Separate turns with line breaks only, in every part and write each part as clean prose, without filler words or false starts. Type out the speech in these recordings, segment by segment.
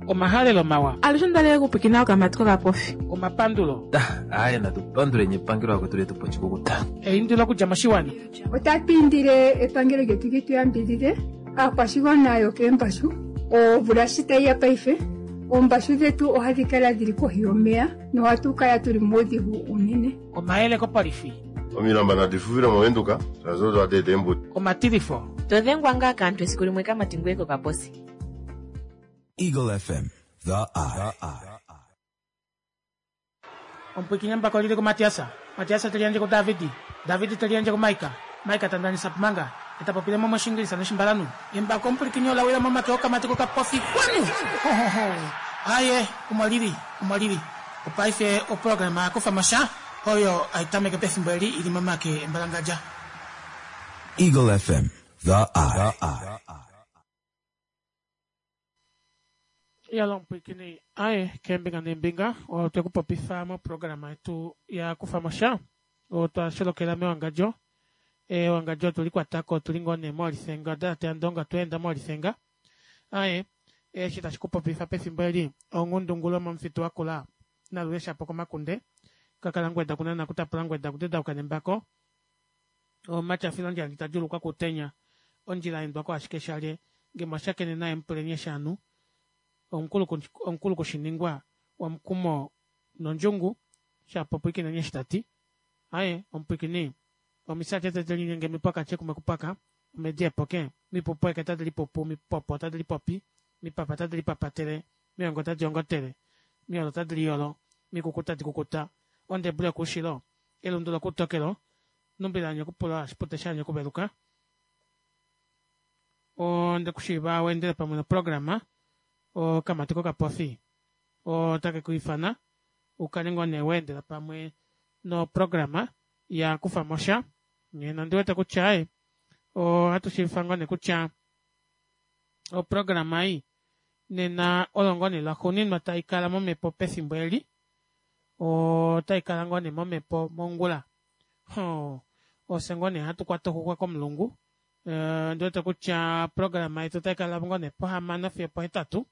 Omahalelo mawa.
Alushe onda li okupwikina okamati kokapofi.
Omapandulo.
Aaye natu panduleni epangelo akwetu letu po oshikukuta.
Eindilo okudja moshiwana.
Otatu indile epangelo lyetu li tu yambidide aakwashigwana yokeembashu. Omvula shi tayi ya paife, oombashu dhetu ohadhi kala dhili kohi yomeya nohatu kala tuli muudhigu uunene.
Omayele kopolifi.
Omilamba nadi fufile moVenduka shaashi odo hadi eta eembuto.
Omatilifo.
To dhengwa ngaa kaantu esiku limwe kamati ngoye kokaposi.
Eagle FM, the eye.
Omupwiikini embako lili kuMatias. Matias te liyandje kuDavid. David te liyandje kuMaika. Maika ta ndanisa pumanga. E ta popile mo mOshiingilisa nOshimbalanhu. Embako omupwilikini ola wila momake okamati kokapofi. Kwanu! Ho, ho, ho. Aye, omo lili. Omo lili. Opaife oprograma ya kufa mo sha oyo hai tameke pefimbo eli i li momake embalangadja.
Eagle FM, the eye.
Yalo omupwilikini aye keembinga neembinga otwe ku popifa moprograma yetu ya kufa mo sha otwa sholokela mewangadjo ewangadjo otuli kwatako otuli ngoo nee moolifenga odalate yandonga otwa enda moolifenga aye eshi tashi ku popifa pefimbo eli onghundungulo momufitu wakula nalule shapo komakunde kakala ngweda kunana kutapula ngweda kudedauka nembako omatyafilo ndjali ta djuulukwa kuutenya ondjila yaendwako ashike shalye nge mwa shakene naye mupuleni eshi anu omukulu kushiningwa womukumo nondjungu shapo pwikineni eshi tati aye omupwikini omisati tete linyenge mipwaka kumwe kupwaka omedi epoke mipupu eke tadi lipupu mipopo tadi lipopi mipapa tadi lipapatele miongo tadi ongotele miolo tadi liyolo mikuku tadi kukuta ondebule yokuushilo elundu lokuutokelo numbilanye okupula oshipute shanye okuveluka onde kushiiva weendele pamwe noprograma okamati kokapofi otake ku ifana ukale ngoo nee weendela pamwe noprograma ya kufa mo sha nena ondi wete kutya e ohatu shiivifa ngoo nee kutya oprograma ei nena oyo ngoo nee lwaxuuninwa tai kala momhepo pefimbo eli otai kala ngoo nee momhepo mongula ofye ngoo nee hatu kwata oxuxwa komulungu ondi wete kutya oprograma yetu otai kala ngoo nee pohamano fiyo pohetatu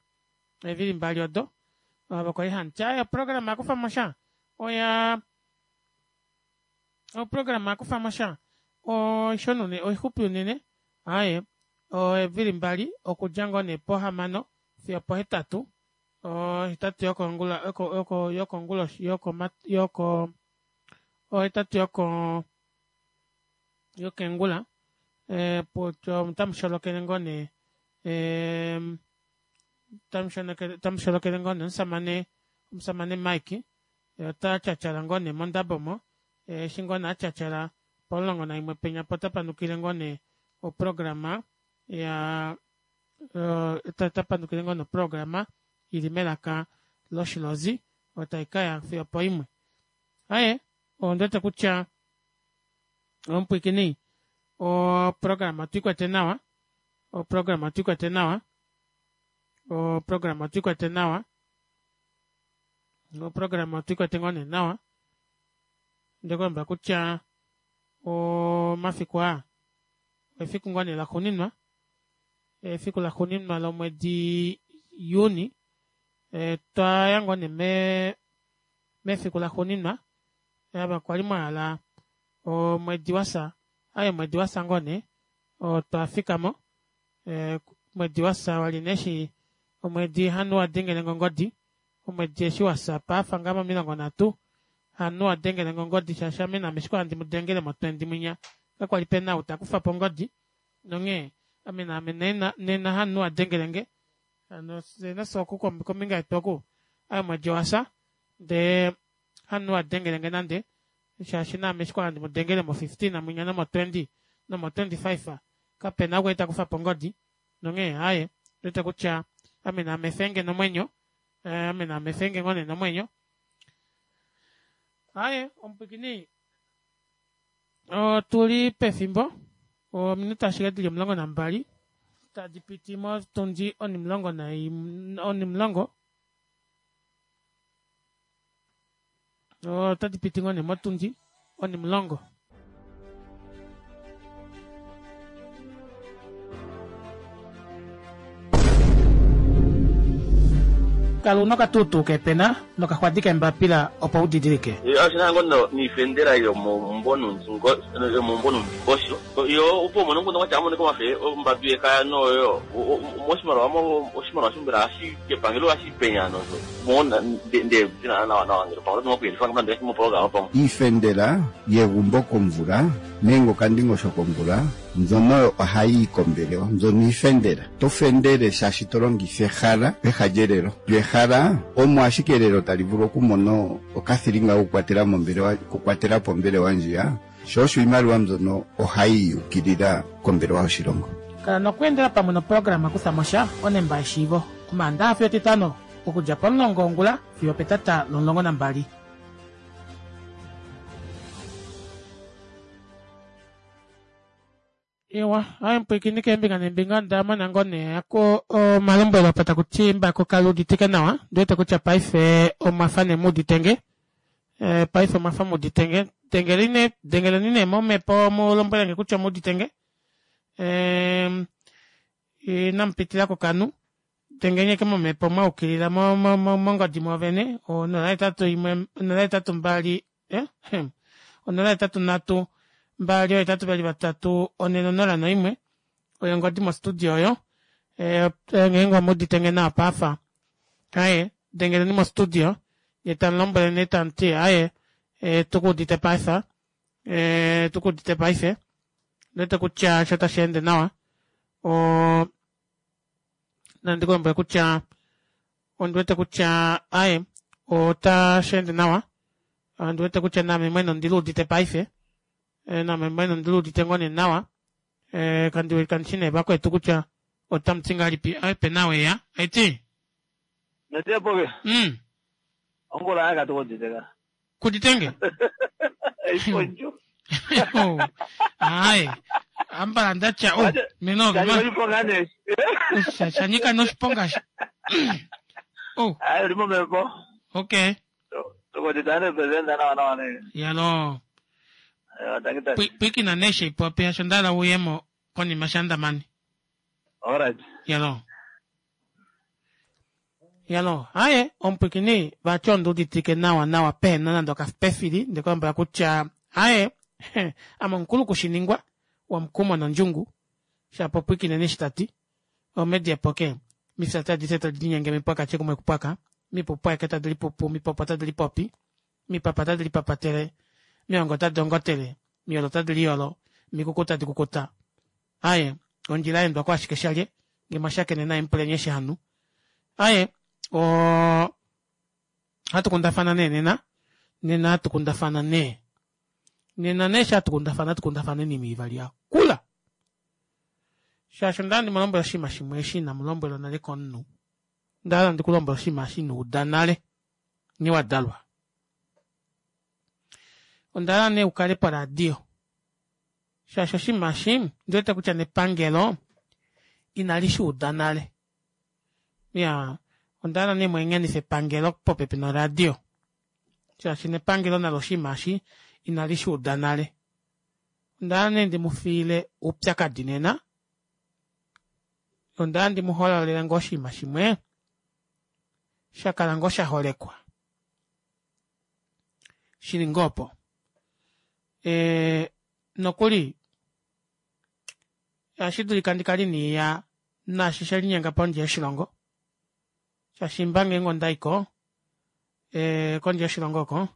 eevili mbali odo ava kwali hamuti aye oprograma yakufa mo sha oya oprograma yakufa mo sha oishona unene oixupi unene aaye oevili mbali okudja ngoo nee pohamano fiyo opohetatu ohetatu yokongula yoko yoko yokonguloshi yoko yoko ohetatu yoko yokeengula eh, otamu sholokele ngoo nee eh, tamu sholokele ngoo nee omusamane omusamane Mike ota tyatyala ngoo nee mondabo mo eshi ngoo nee atyatyala pomulongo naimwe penya po ota panukile ngoo nee oprograma ya ota panukile ngoo nee oprograma ili melaka loshilozi oyo tai kaya fiyo opoimwe. Aye, ondi wete kutya omupwiikini oprograma otu ikwete nawa, oprograma otu ikwete nawa, oprograma otu ikwete nawa, oprograma otu ikwete ngoo nee nawa. Onde ku lombwela kutya omafiku aa efiku ngoo nee laxuuninwa, efiku laxuuninwa lomwedi Juni, twa ya ngoo nee me mefiku laxuuninwa ava kwali mwa hala omwedi wafya aye omwedi wafya ngoo nee otwa fikamo omwedi wafya wali nee eshi omwedi hanu wa dengelenge ongodi omwedi eshi wafya paafa ngaa momilongo nhatu hanu wa dengelenge ongodi shaashi ame naame eshi kwali handi mu dengele mo 20 mwinya kakwali pena ou takufapo ongodi nonghee ame naame nena hanu wa dengelenge hano fye nafye oku kombinga yetu oku aye omwedi owafya ndee hamunhu a dengelenge nande shaashi naame eshi kwa handi mu dengele mo 15 mwinya nomo 20 nomo 25 kapena ou kwali ta kufa po ongodi nonghee aaye ondiwete kutya ame naame efenge nomwenyo ame naame efenge ngoo nee nomwenyo aaye omupwiikini otuli pefimbo ominute ashike dili 12 tadi piti motundi onimulongo naimwe onimulongo otadi piti ngoo nee motundi onimulongo. Kala una okatuutuu keepena nokaxwadi keembapila opo u didilike.
Oshina ngo no niifendela yomomumbo yomomumbo nuundingosho yo opo umone omukundu ngwatya amonike omafe ombambi yekaya noyo moshimaliwa mo oshimaliwa shombela ashi kepangelo ashi penya no mo nde dina nawa nawa ngele pangelo tingo kuyelifa ngamba ndeke mo programa pamwe.
Iifendela yegumbo komvula nenge okandingosho komvula mbyono oyo ohayi yi kombelewa. Mbyono iifendela. To fendele shaashi to longitha ehala peha lyelelo. Lyo ehala omo ashike elelo tali vulu okumona okathilinga kokukwatela mombelewa, okukwatela po ombelewa ndjiya, sho osho iimaliwa mbyono ohayi yi ukilila kombelewa yoshilongo.
Kala nokweendela pamwe noprograma Kutha mo sha, onemba yeshiivo, Omaandaha fiyo Etitano, okudja pomulongo wongula fiyo opetata lomulongo nambali. Ewa, aye mupwiikini keembinga neembinga onda mona ngoo nee ako omalombwelo apa taku ti mbako kali uditike nawa. Ndi wete kutya paife omwa fa nee mu uditenge. Eh, paife omwa fa mu uditenge. Dengeleni nee, dengeleni nee momhepo mu lombwele nge kutya omu uditenge. Eh, inamu pitila kokanhu. Dengeni eke momhepo mwa ukilila mo, mo, mo, mongodi mwoovene. 081 082 eh, hmm. 083 2 823 401 oyo ongodi mostudio oyo. Eh, ngeenge omu udite nge nawa paafa. Aye, dengeleni mostudio ye tamu lombwele nee tamu ti aye, eh, tuku udite paife. Eh, tuku udite paife. Ndete kutya sho tashi ende nawa. O nandi ku lombwele kutya ondi wete kutya aye otashi ende nawa ondi wete kutya naame mwene ondi luudite paife eh, naame mwene ondi luudite ngoo nee nawa eh, kandi kandi shi nee vakwetu kutya otamu ti ngahelipi aye pena weya aiti
Netepoke. Ongula yaka tukoditeka.
Kuditenge?
Iponjo.
Oh, aye. Ambala ndatya oh, meno
Shanyika oshiponga ne.
Shanyika noshiponga sha. Oh.
Aye uli momhepo.
Okay.
Tukodita ne president nawa nawa ne.
Yalo.
Yo tangi tangi.
Pwikina neshe ipopi hasho ndala uyemo konima shandamani.
Alright.
Yalo. Yalo, aye, omupwikini vati ondi uditike nawa nawa pehena nande okapefili, nde ku lombwela kutya aye, ame omukulu kushiningwa, womukumo nondjungu, shapo pwikineni eshi ta ti. Omedi epoke, mifya adishe tadi linyenge mipwaka kumwe kupwaka, mipupu aeke tadi lipupu, mipopo tadi lipopi, mipapa tadi lipapatele, miongo tadi ongotele, miyolo tadi liyolo, mikuku tadi kukuta. Aye, ondjila ya endwa ko ashike shalye, nge mwa shakene naye mupuleni eshi hanu. Aye, o hatu kundafana nee nena, nena hatu kundafana nee. Nena nee eshi hatu kundafana, hatu kundafana oinima ivali ya kula. Shaashi onda hala ndi mu lombwele oshinima shimwe eshi inamu lombwelwa nale komunhu. Onda hala ndi ku lombwele oshinima eshi ino uda nale, nghee wa dalwa. Onda hala nee u kale poradio. Shaashi oshinima eshi ondi wete kutya nepangelo inali shi uda nale. Ya, onda hala nee mweengenife epangelo popepi noradio. Shaashi nepangelo nalo oshinima eshi inali shi uda nale. Onda hala nee ndi mu fiile oupyakadi nena. Onda hala ndi mu hololele ngoo oshinima shimwe sha kala ngoo sha holekwa. Shili ngoo opo. E, nokuli ohashi dulika ndi kale iniiya naashi she linyenga pondje yoshilongo shaashi mba ngeenge onda i ko e, kondje yoshilongo oko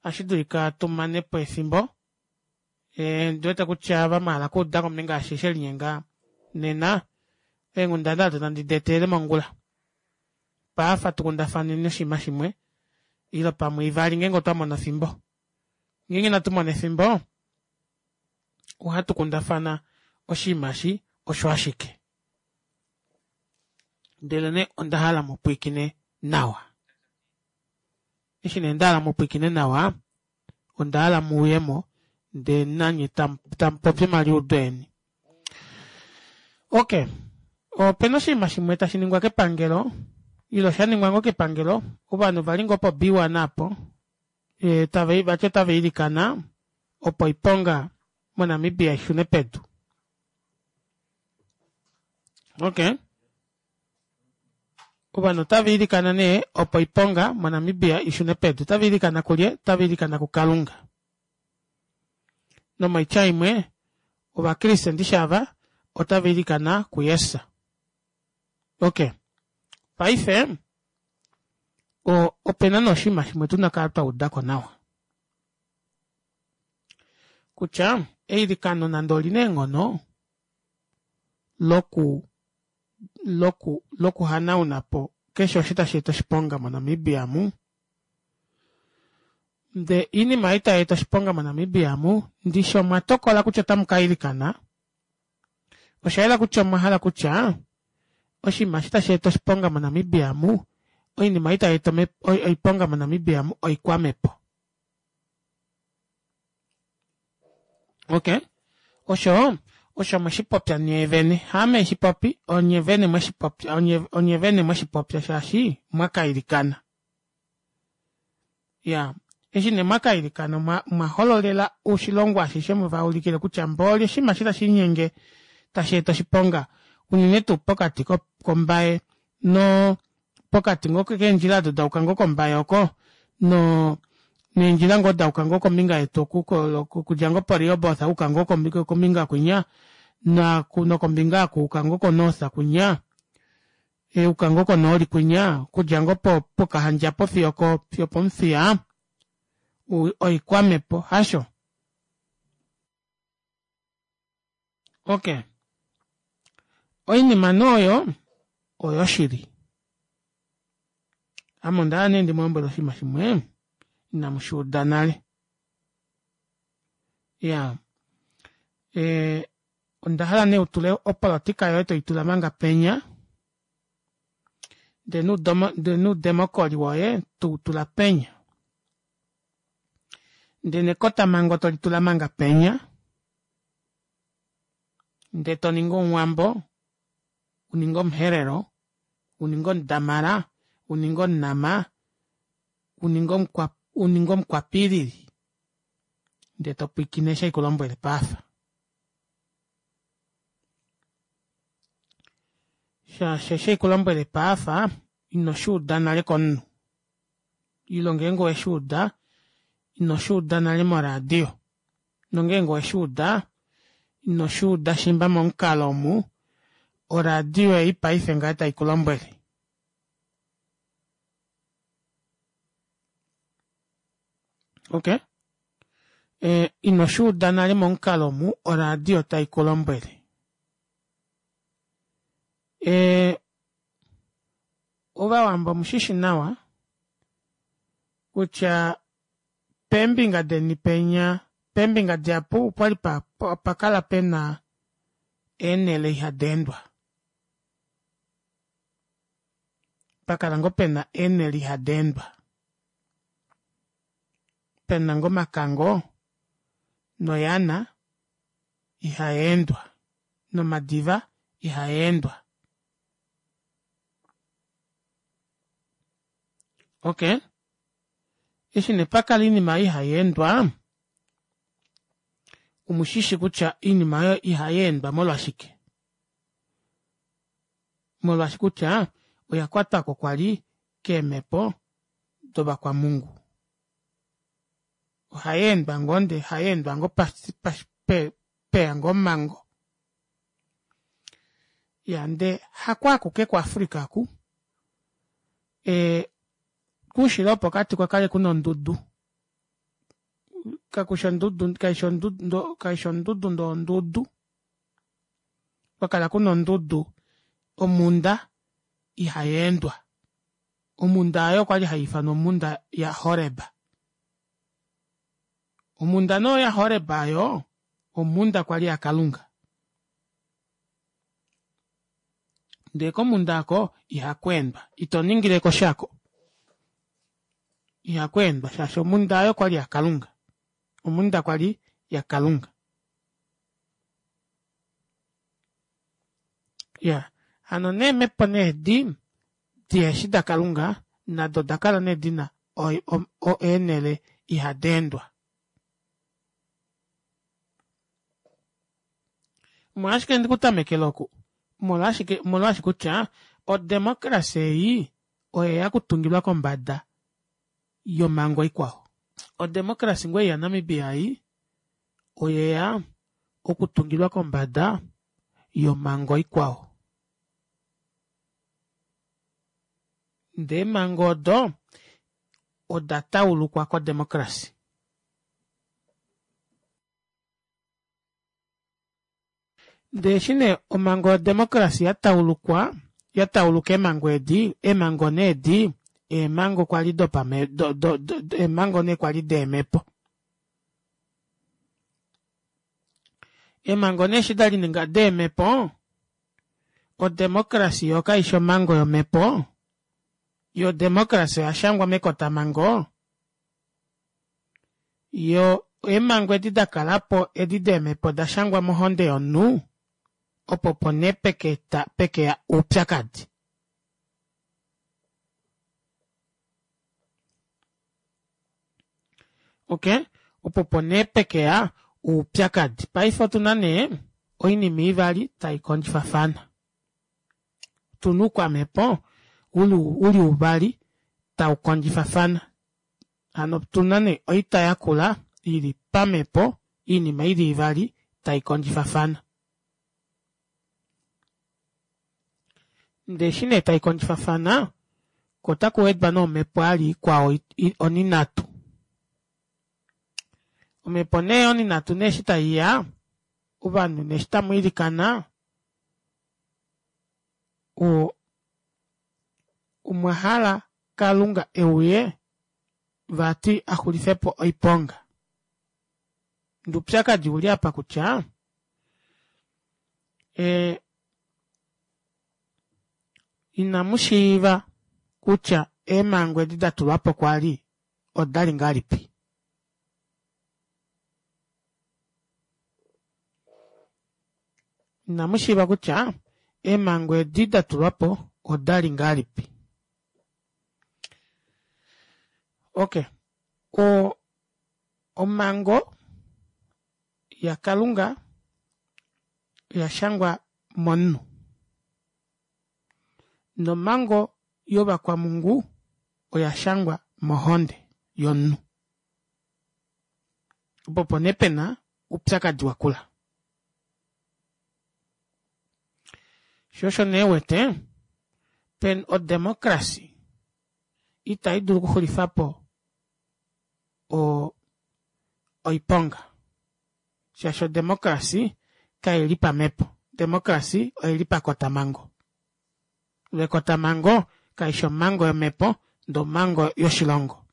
ohashi dulika tu mane po efimbo e, ndi wete kutya ava mwa hala okuuda kombinga yashi she linyenga nena eenghundana odo tandi di etelele mongula paafa tu kundafaneni oshinima shimwe ile pamwe ivali ngeenge otwa mona efimbo Ngeenge inatu mona efimbo, ohatu kundafana oshinima eshi osho ashike. Ndelenee onda hala mu pwilikine nawa. Eshi nee nda hala mu pwilikine nawa, onda hala mu uye mo ndee nanye tamu popi omaliudo eni. Ok, opena oshinima shimwe tashi ningwa kepangelo, ile osha ningwa ngoo kepangelo, ovanhu va li ngoo po B1 apo, e, tava vati otava ilikana opo oiponga moNamibia i shune pedu. Ok. Ovanhu otava ilikana nee opo oiponga moNamibia i shune pedu. Otava ilikana kulye? Otava ilikana kuKalunga. Nomoitya imwe, Ovakriste ndishi ava otava ilikana kuJesus. Ok. Paife, o, ope na nee oshinima shimwe tu na kala twa uda ko nawa. Kutya eilikano nande oli na eenghono loku loku lokuhanauna po keshe osho tashi eta oshiponga moNamibia mu, nde iinima ei tai eta oshiponga moNamibia mu, ndishi omwa tokola kutya otamu ka ilikana, osha yela kutya omwa hala kutya oshinima eshi tashi eta oshiponga moNamibia mu, oinima ei tai eta oiponga moNamibia mu oikwamhepo. Ok, osho osho mwe shi popya nyee vene, haame shi popi, onye vene mwe shi popya, onye, onye vene mwe shi popya shaashi mwa ka ilikana. Ya, eshi ne mwa ka ilikana mwa, mwa hololela oshilongo ashishe mwe va ulikile kutya mbooli oshinima eshi tashi linyenge tashi eta oshiponga unene tuu pokati kombaye no pokati ngoo keendjila odo da yuka ngoo kombaye oko no neendjila ngoo da yuka ngoo kombinga yetu oku okudja ngoo poRehoboth uka ngoo kombinga kwinya nokombinga oku uka ngoo koNorth kwinya uka ngoo konooli kwinya okudja ngoo pOkahandja po fiyo fiyo pOmuthiya oikwamhepo hasho? Ok. Oinima nee oyo oyoshili. Ame onda hala nee ndi mu lombwele oshinima shimwe inamu shi uda nale. Ya. E, onda hala nee u tule opolotika yoye toi tula manga penya ndee nuudemokoli woye tou tula penya. Ndee nekotamhango toli tula manga penya. Ndee to ningi omuwambo, u ninge omuherero, u ninge omudamara, u ninge omunama, u ninge omukwa u ninge omukwapilili ndee to pwiikine eshi haiku lombwele paafa. Shaashi eshi haiku lombwele paafa ino shi uda nale komunhu ile ngeenge owe shi uda ino shi uda nale moradio nongeenge owe shi uda ino shi uda shimba momukalo omu oradio ei paife ngaha tai ku lombwele. Ok e, ino shi uda nale momukalo omu oradio tai ku lombwele. E, Ovawambo omushishi nawa kutya peembinga deni penya, peembinga dihapu opwali pa, pa kala pena eenhele ihadi endwa. Pa kala ngoo pena eenhele ihadi endwa. Pena ngoo omakango noyana ihai endwa nomadiva ihaa endwa. Ok, eshi nee pa kala oinima oyo ihai endwa, omushishi kutya oinima oyo ihai endwa molwashike? Molwaashi kutya oya kwatwako kwali keemhepo dovakwamungu. Ohai endwa ngoo ndee ohai endwa ngoo peya ngoo omhango. Ya ndee hako akuke kuAfrica oku, ee koushilo wopokati okwa kale kuna ondudu, kakushi ondudu kaishi ondudu kaishi ondudu ndee ondudu, kwa kala kuna ondudu omhunda ihayeendwa. Omhunda aayo okwali haiifanwa omhunda yaHoreb. Omhunda nee yaHoreb aayo omhunda kwali yaKalunga. Ndee komhunda aako ihaku endwa, ito ningileko sha ko. Ihaku endwa shaashi omhunda aayo okwali yaKalunga. Omhunda kwali yaKalunga. Ya, hano neemhepo nee edi diheshi daKalunga nado oda kala nee dina eenhele ihadi endwa. Omolwashike ndi ku tamekela oku? Omolwashike, omolwaashi kutya Odemokrasi ei oyeya okutungilwa kombada yomango ikwao. Odemokrasi ngoo ei yaNamibia ei oyeya okutungilwa kombada yomango ikwao. Ndee eemhango odo oda taulukwa kodemokrasi. Ndee eshi nee omhango yodemokrasi ya taulukwa, ya tauluka eemhango edi, eemhango nee edi eemhango kwali dopame do do do eemhango nee kwali deemhepo. Eemhango nee eshi da lininga deemhepo, odemokrasi yoo kaishi omhango yomhepo, yo odemokrasi oya shangwa mekotamhango, yo eemhango edi da kalapo edi deemhepo oda shangwa mohonde yomunhu, opo opo nee peka pekeya oupyakadi. Ok, opo opo nee pekeya oupyakadi. Paife otuna nee oinima ivali tai kondjifafana. Tuna oukwamhepo uli uvali tau kondjifafana. Hano otuna nee oita yakula ili pamhepo oinima ili ivali tai kondjifafana. Ndee eshi nee tai kondjifafana ko otaku wedwa nee omhepo vali ikwao oninhatu. Omhepo nee oninhatu nee eshi taiya ovanhu nee eshi tamwiilikana o omwa hala kalunga euye vati axulifepo oiponga. Ndee oupyakadi ouli apa kutya ee inamushiiva kutya eemhango edi datulwapo kwali odali ngahelipi. Inamushiiva kutya eemhango edi datulwapo odali ngahelipi. Ok o omhango yakalunga oya shangwa momunhu nomhango yovakwamhungu oya shangwa mohonde yomunhu. Opo opo nee pena oupyakadi wakula. Sho osho nee uwete pen odemocracy ita idulu okuxulifapo oiponga shaashi odemocracy kaili pamhepo, odemocracy oili pakotamango lo ekotamango kaifi omango yomepo ndee omango yoshilongo.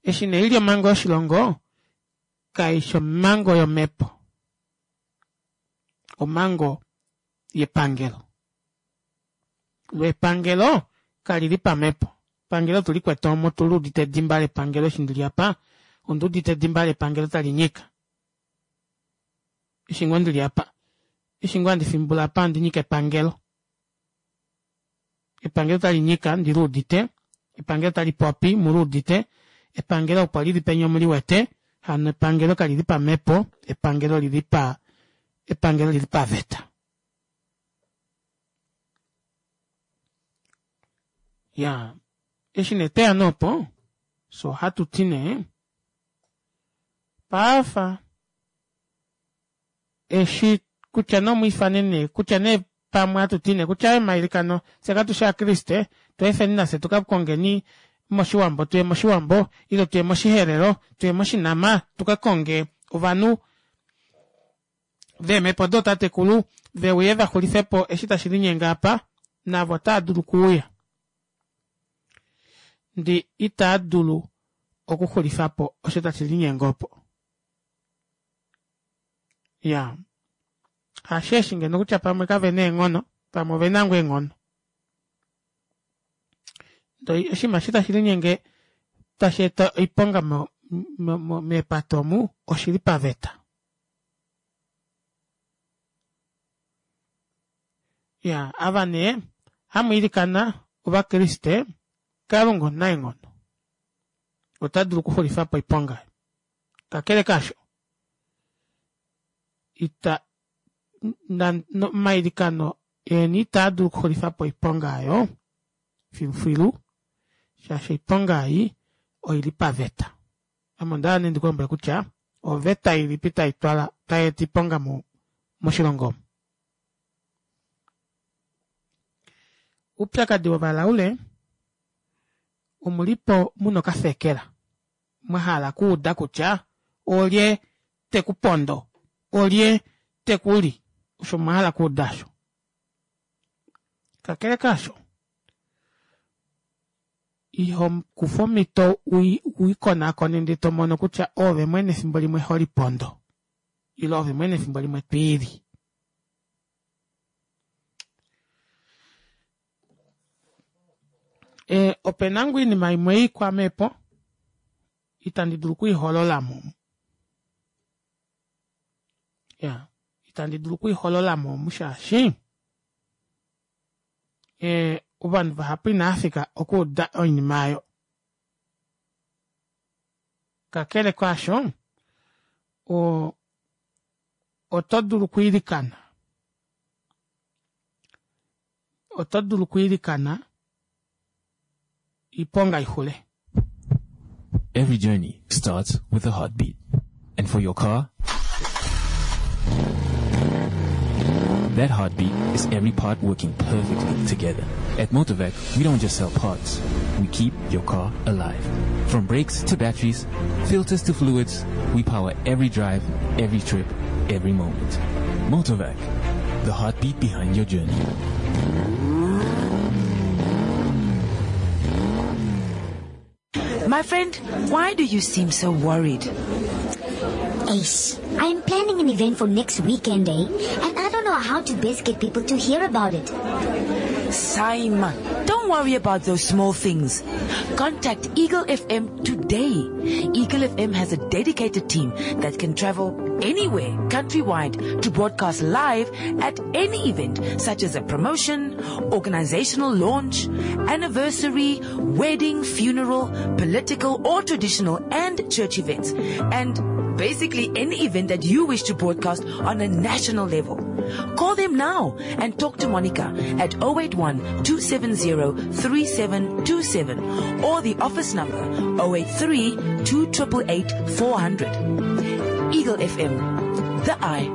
Eshi nee ili omango yoshilongo kaifi omango yomepo, omango yepangelo. Lo epangelo kalili pamhepo, epangelo otulikwete omu otuluudite edimba lepangelo eshi ndili apa onduudite edimba lepangelo tali nyika eshi ngoo ndili apa eshi ngoo handi fimbula apa ohandi nyika epangelo. Epangelo tali nyika ndiluudite, epangelo tali popi muluudite, epangelo opo lili penya omuliwete, hano epangelo kalili pamhepo, epangelo olili pa epangelo olili paveta. Iyaa eshi nee tweya nee opo fyee ohatu ti nee paafa eshi kutya nee omwiifane nee kutya nee pamwe hatu ti nee kutya omailikano fye katushi ovakriste tweefeni nafye tuka kongeni moshiwambo tuye moshiwambo ile tuye moshiherero tuye moshinama tuka konge ovanhu veemhepo dootatekulu veuye vaxulifepo eshi tashi linyenge apa navo otaa dulu okuuya ndee itaa dulu okuxulifapo osho tashi linyenge opo. Iyaa hasheeshi ngeno kutya pamwe kavena eenghono pamwe ovena ngoo eenghono ndee oshinima eshi tashi linyenge tashi eta oiponga mo mo meepate omu oshili paveta. Iyaa ava nee hamwiilikana ovakriste kalunga omunaenghono ota dulu okuxulifapo oiponga. Kakele kaasho, ita. Omailikano eni itaa dulu okuxulifa po oiponga oyo filufilu, shaashi oiponga ei oi li paveta. Ame onda hala nee ndi ku lombwele kutya oveta ilipi tai twala tai eta oiponga moshilongo omu. Oupyakadi wovalaule omu li po mu na okafekela mwa hala okuuda kutya olye te ku pondo, olye te ku li, osho mwa hala okuuda osho. Kakele kaasho, iho kufa omhito u ikonakone ndele to mono kutya oove mwene efimbo limwe ho lipondo ile oove mwene efimbo limwe to i li. E, ope na ngoo oinima imwe ei kwaame po itandi dulu okuiholola mo. Ya, itandi dulu okuiholola mo omu shaashi e, ovanhu vahapu inava fika okuuda oinima oyo. Kakele kaasho, o, oto dulu okwiilikana. Oto dulu okwiilikana iponga i xule.
Every journey starts with a heartbeat. And for your car, that heartbeat is every part working perfectly together. At Motorvac, we don't just sell parts. We keep your car alive. From brakes to batteries, filters to fluids, we power every drive, every trip, every moment. Motorvac, the heartbeat behind your journey.
My friend, why do you seem so worried?
Ace, I'm planning an event for next weekend, eh? And I don't know how to best get people to hear about it.
Simon, don't worry about those small things. Contact Eagle FM today. Eagle FM has a dedicated team that can travel anywhere countrywide to broadcast live at any event such as a promotion, organizational launch, anniversary, wedding, funeral, political or traditional and church events. And basically any event that you wish to broadcast on a national level. Call them now and talk to Monica at 081 270 3727 or the office number 083 2888 400. Eagle FM, the eye.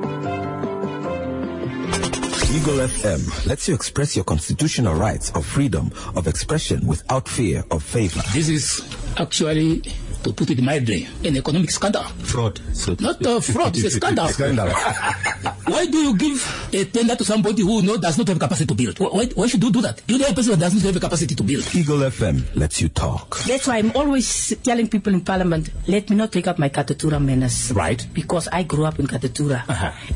Eagle FM lets you express your constitutional rights of freedom of expression without fear of favor.
This is actually, to put it mildly, an economic scandal.
Fraud. So
Not a fraud, it's a scandal.
Scandal.
Why do you give a tender to somebody who no, does not have capacity to build? Why, why should you do that? You know a person who does not have a capacity to build.
Eagle FM lets you talk.
That's why I'm always telling people in parliament, let me not take up my Katutura manners.
Right.
Because I grew up in Katutura.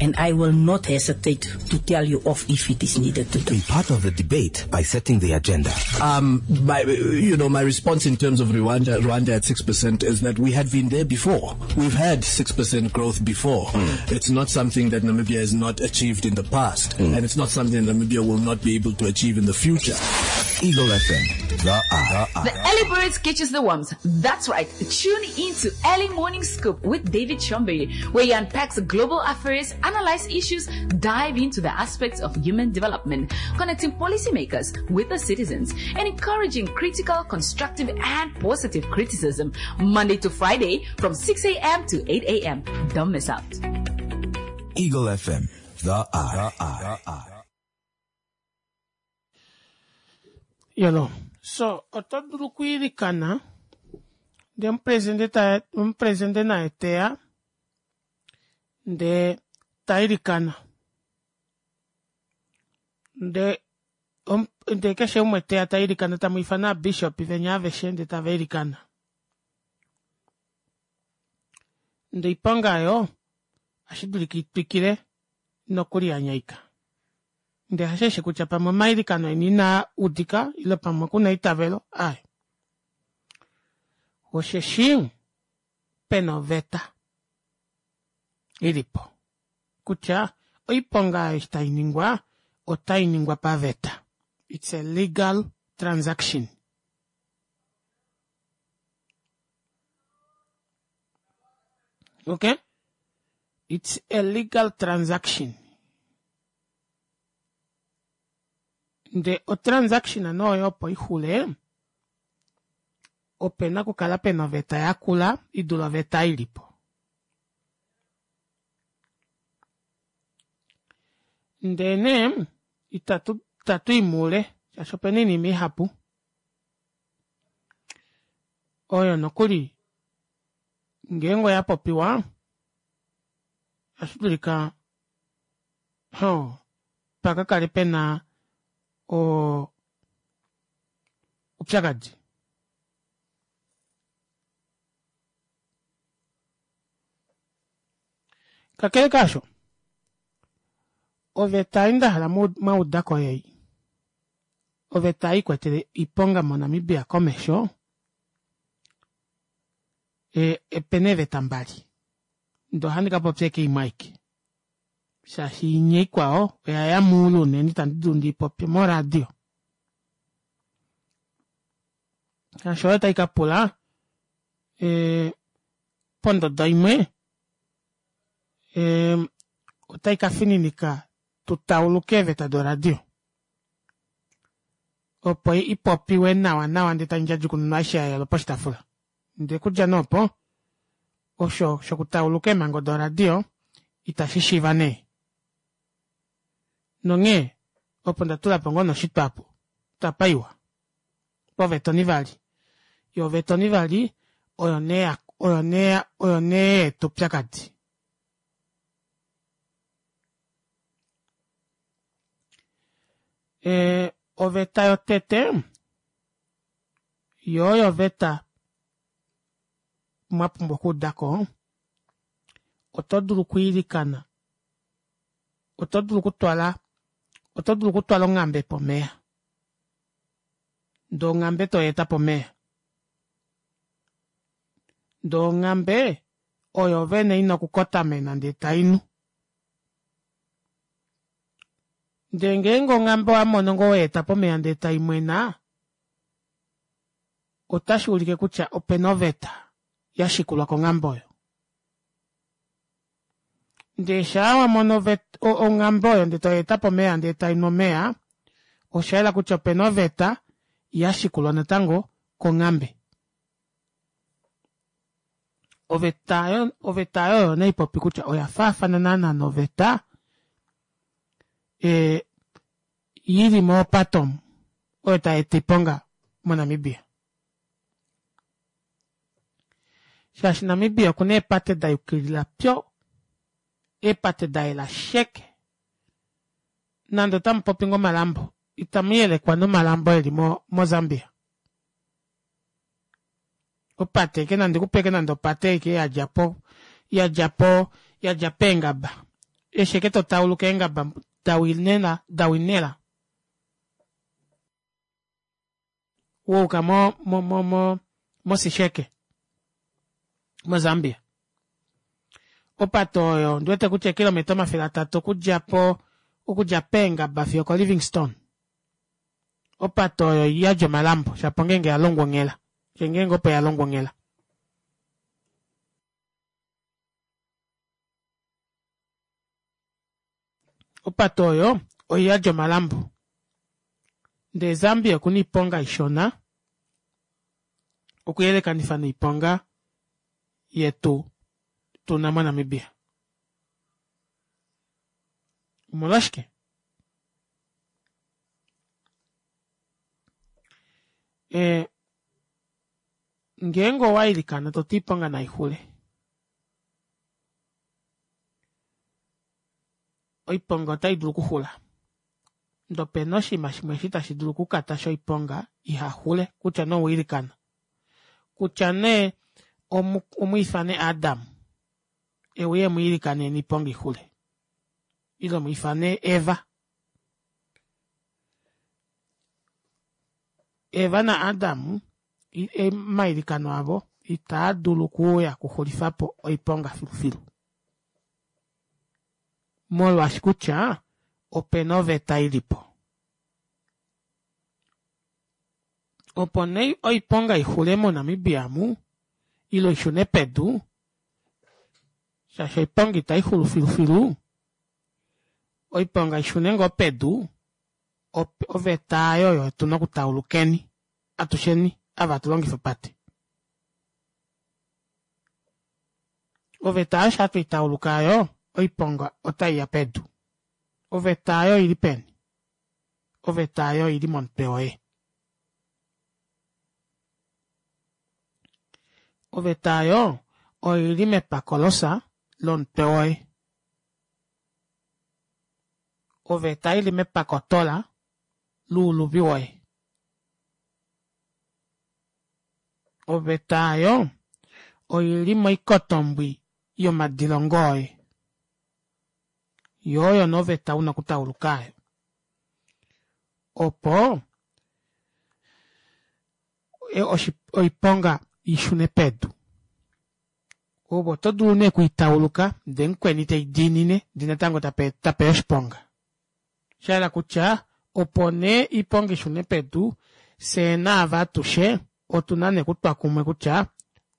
And I will not hesitate to tell you off if it is needed to do.
Be part of the debate by setting the agenda.
My, you know, my response in terms of Rwanda, Rwanda at 6% is that we had been there before. We've had 6% growth before. It's not something that Namibia has not achieved in the past, and it's not something that Namibia will not be able to achieve in the future.
Eagle FM, the eye.
The early birds catches the worms. That's right. Tune in to Early Morning Scoop with David Chombery, where he unpacks global affairs, analyze issues, dive into the aspects of human development, connecting policymakers with the citizens, and encouraging critical, constructive, and positive criticism. Monday to Friday from 6 a.m. to 8 a.m. Don't miss out.
Eagle FM, the eye. The eye.
Yolo. So, oto dulu okwiilikana ndee omupresidente ta omupresidente naye teya ndee ta ilikana ndee ndee keshe umwe teya ta ilikana tamu ifana aabishop venya aveshe ndee tava ilikana ndee oiponga oyo ohashi dulika itwikile nokuli ya nyaika. Ndee hasheshi kutya pamwe omailikano eni inaa udika ile pamwe kuna eitavelo, aaye. Osheshi pena oveta ilipo kutya oiponga eshi tai ningwa otai ningwa paveta. It's a legal transaction. Okay? It's a legal transaction. Ndee otransaction nee oyo opo ixule opena okukala pena oveta yakula idule oveta ei ilipo. Ndee nee itatu itatui moule shaashi opena oinima ihapu oyo nokuli ngeenge oyapopiwa ohashidulika hoo pakakale pena oo oupyakadi. Kakele kaasho, oveta ei ndahala mwaudako oyei, oveta ei ikwetele oiponga mo Namibia komesho opena eeveta mbali ndee ohandi kapopya ashike imwe aike shaashi inya ikwao oyaya moule unene ita ndidulu ndiipopye mo radio shaashi oyo taikapula pondodo imwe otaikafininika tutauluke eeveta do radio opo ipopiwe nawa nawa ndee taindjadjukununwa aishe yayelwa poshitaafula ndee okudja nee opo osho shokutauluka eemhango do radio ita shishiiva nee nonghee opo ndatulapo ngoo noshitwa aapo tapaiwa poveta onivali yoo oveta onivali oyo nee oyo nee oyo nee yaeta oupyakadi. Oveta yotete yoo oyo oveta mwapumbwa okuudako oto dulu okwiilikana oto dulu okutwala oto dulu okutwala onghambe pomeva ndee onghambe toyeeta pomeva ndee onghambe oyo vene ina okukotamena ndee tainu ndee ngeenge onghambe owamono ngoo weyeeta pomeva ndee taimwena ota shuulike kutya opena oveta yashikulwa konghambe oyo. Ndee shaa wamono onghambe oyo ndee toyeeta pomeva ndee tainu omeva oshayela kutya opena oveta yashikulwa natango konghambe. Oveta oveta oyo oyo nee haipopi kutya oya faafana naana noveta ili mopate omu oyo tayeeta oiponga mo Namibia. Shaashi Namibia okuna eepate dayukilila pyo, eepate dayela sheke. Nande otamupopi ngoo omalambo itamuyelekwa nomalambo eli mo moZambia. Opate ashike nande kupe ashike nande opate ashike yadja po yadja po yadja peengaba eshi ashike totauluka eengaba dawinela dawinela wayuka mo mo mo mo mosisheke mozambia opate oyo ondiwete kutya eekilometa 300 okudja po okudja peengaba fiyo okolivingstone opate oyo iyadi omalambo shapo ngeenge yalongwa onghela ngeenge opo yalongwa onghela Opate oyo oiyadi omalambo ndee Zambia okuna oiponga ishona okuyelekanifa noiponga yetu tuna moNamibia. Omolwashike? E, ngeenge owailikana toti oiponga naixule Oiponga otai dulu okuxula. Ndee opena oshinima shimwe eshi tashi dulu okukatasha oiponga ihaxule kutya nee owailikana. Kutya nee omwiifane Adam euye emwiilikanene oiponga ixule ile mwiifane Eva. Eva na Adam omailikano avo itaa dulu okuuya okuxulifapo oiponga filufilu. Molwaashi kutya opena oveta ilipo. Opo nee oiponga ixule mo Namibia amu ile ishune pedu shaashi oiponga itaixulu filufilu, oiponga ishune ngoo pedu. Oveta aayo oyo tuna okutaulukeni atusheni ava hatu longifa opate. Oveta aayo shaa tweitauluka aayo oiponga otaiya pedu. Oveta aayo oili peni? Oveta aayo oili momutwe woye. Oveta aayo oili mepakolosa lomutwe woye. Oveta ili mepakotola luuluvi woye. Oveta aayo oili moikotombwi yomadilongo oye. Yo oyo nee oveta una okutauluka aayo. Opo oiponga ishune pedu. Ove oto dulu nee okuitauluka ndee mukweni teidiinine ndee natango tapeya oshiponga. Shahala kutya opo nee oiponga ishune pedu fyee naave atushe otuna nee okutwa kumwe kutya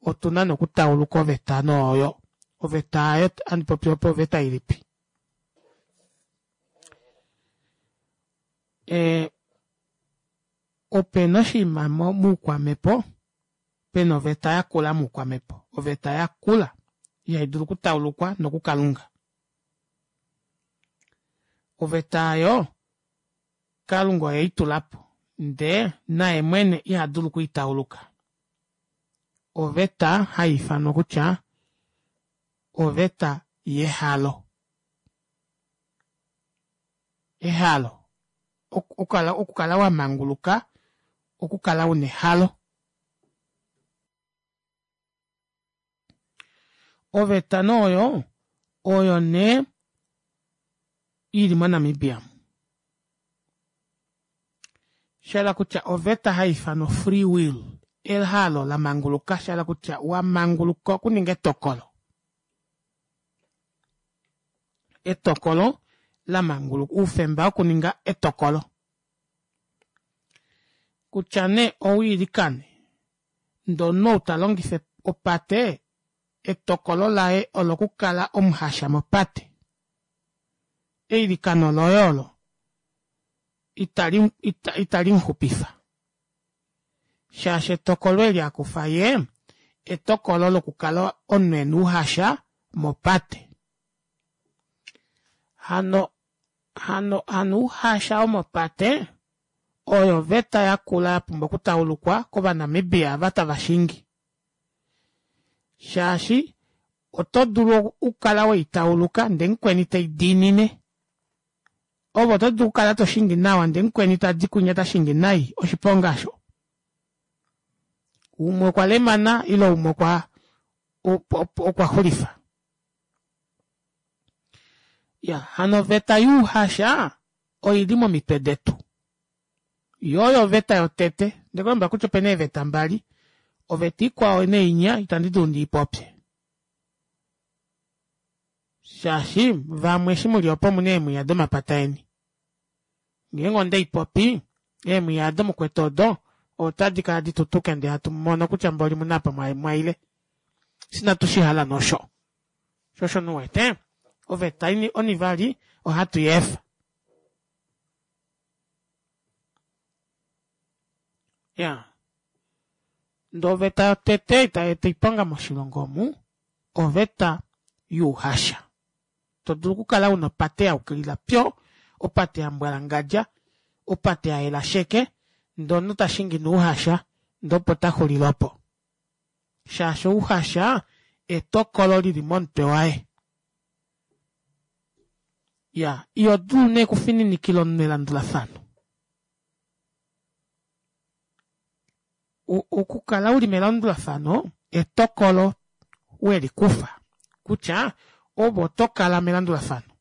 otuna nee okutauluka oveta nee oyo. Oveta aayo handi popi opo oveta ilipi? Ee opena oshinima moukwamhepo pena oveta yakula moukwamhepo. Oveta yakula ihai dulu okutaulukwa nokukalunga. Oveta aayo Kalunga oye eitulapo ndee naye mwene iha dulu okwiitauluka. Oveta haiifanwa kutya oveta yehalo. Ehalo okukala wamanguluka okukala una ehalo. Oveta nee oyo oyo nee ili moNamibia mu. Shahala kutya oveta haiifanwa free will, ehalo lamanguluka, shahala kutya wamanguluka okuninga etokolo. Etokolo lamanguluka, oufemba wokuninga etokolo. Kutya nee owiilikane ndee omunhu ou talongifa opate etokolo laye olo okukala omuhasha mopate. Eilikano loye olo itali itali muxupifa shaashi etokolo eli akufa yee etokolo lokukala omunhu ena ouhasha mopate. Hano hano hano ouhasha womopate oyo oveta yakula yapumbwa okutaulukwa kOvanamibia ava tava shingi shaashi oto dulu okukala weitauluka ndee mukweni teidiinine. Ove oto dulu okukala toshingi nawa ndee mukweni tadi kwinya tashingi nai, oshiponga osho. Umwe okwa lemana ile umwe okwa okwa xulifa. Ya hano oveta youhasha oili momitwe detu. Yo oyo oveta yotete. Ndekulombwela kutya opena eeveta mbali. Oveta ikwao neinya itandi dulu ndiipopye. Shaashi vamwe eshi muli opo omuna eemwiya domapata eni. Ngeenge ondeipopi, eemwiya odo mukwete odo otadi kala ditutuke ndee hatu mono kutya mboli muna apa mwaile. Sinatu shihala nosho. Sho osho nee uwete, oveta onivali ohatu i efa. Ya. Ndee oveta yotete itai eta oiponga moshilongo omu, oveta youhasha. To dulu okukala una opate ya yukilila pyo, opate ya mbwalangadja, opate ya yela sheke, ndee omunhu ta shingi nouhasha ndee opo ta xulile opo. Shaashi ouhasha etokolo lili momutwe waye. Ya, iho dulu nee okufininikila omunhu elandulafano. Okukala uli melandulafano etokolo weli kufa kutya ove oto kala melandulafano.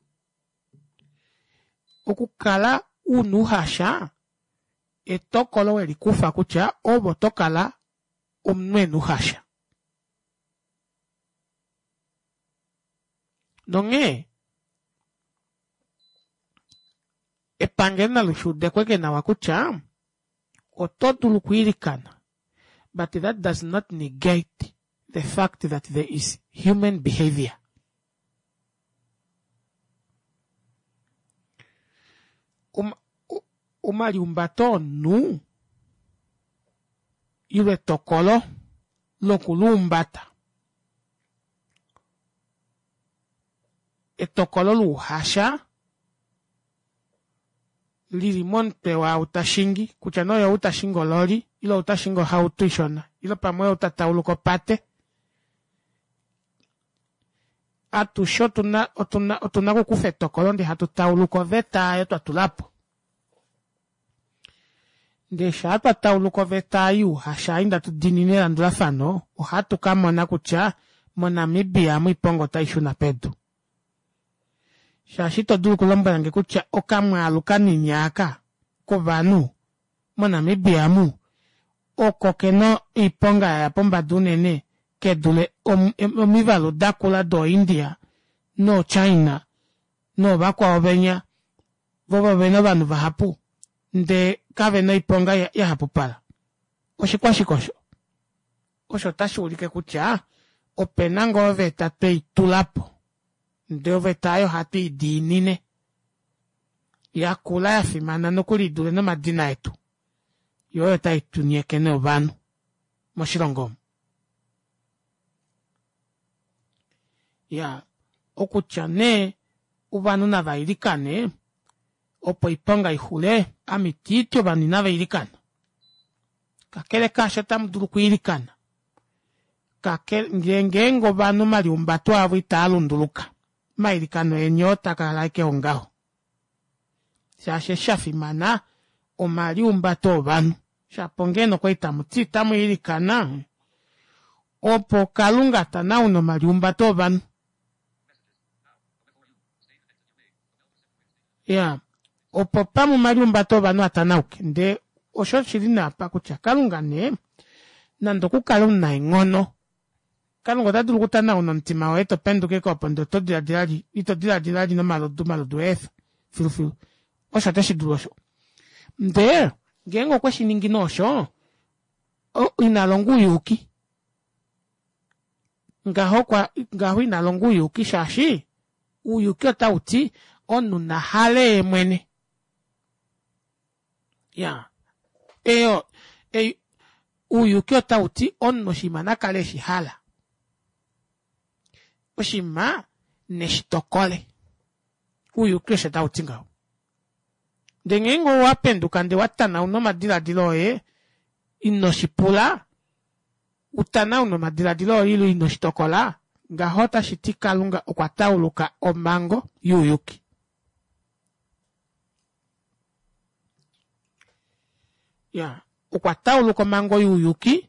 Okukala una ouhasha etokolo weli kufa kutya ove oto kala omunhu ena ouhasha. Nonghee epangelo nali shuudekweke nawa kutya oto dulu okwiilikana but that does not negate the fact that there is human behavior. Um, Omaliumbato omunhu ile etokolo lokuluumbata etokolo louhasha lili momutwe waau tashingi kutya nee oyou tashingi ololi ile ou tashingi ohauto ishona ile pamwe oyou tatauluka opate atushe otuna otuna otuna okukufa etokolo ndee hatu tauluka oveta aayo twatulapo ndee shaa twa tauluka oveta ei youhasha ei ndatu diinine elandulafano ohatu kamona kutya mo Namibia amu oiponga otaishuna pedu shaashi ito dulu okulombwelange kutya okamwaalu kanini aka kovanhu moNamibia amu oko kena oiponga yaya pombada unene kedule omivalu dakula dooIndia nooChina noovakwao venya vo ovena ovanhu vahapu ndee kavena oiponga yahapupala. Oshikwashike osho? Osho otashi ulike kutya opena ngoo oveta tweitula po ndee oveta aayo ohatu idiinine yakula yafimana nokuli idule nomadina etu yoo oyo tai tu nyeke nee ovanhu moshilongo omu. Iyaa okutya nee ovanhu nava ilikane opo oiponga ixule ame itiiti ovanhu inava ilikana kakele kaasho otamu dulu okwiilikana kakele ngeenge ovanhu omaliumbato avo itaa lunduluka omailikano eni oo takala ashike ongaho shaashi eshi shafimana omaliumbato ovanhu shapo ngeno okwali tamuti otamu ilikana opo kalunga tanaune omaliumbato ovanhu ya opo pamwe omaliumbato ovanhu atanauke ndee osho shili nee apa kutya kalunga nee nande okukale omunaenghono kalunga ota dulu okutanauna omutima woye to penduka ashike opo ndee oto diladila li ito diladila li nomalodu omalodu eefa filufilu osho oteshi dulu osho ndee ngeenge okwe shi ningi nee osho ina longa ouyuki ngaho kwa ngaho ina longa ouyuki shaashi ouyuki otau ti omunhu na hale ye mwene ya eyo ei ouyuki otau ti omunhu oshinima na kale eshi hala oshinima neshi tokole ouyuki osho tau ti ngaho ndee ngeenge owa penduka ndee wa tanauna omadiladilo oye ino shi pula u tanaune omadiladilo oye ile ino shi tokola ngaho otashi ti Kalunga okwa tauluka omhango youyuki. Ya, okwa tauluka omhango youyuki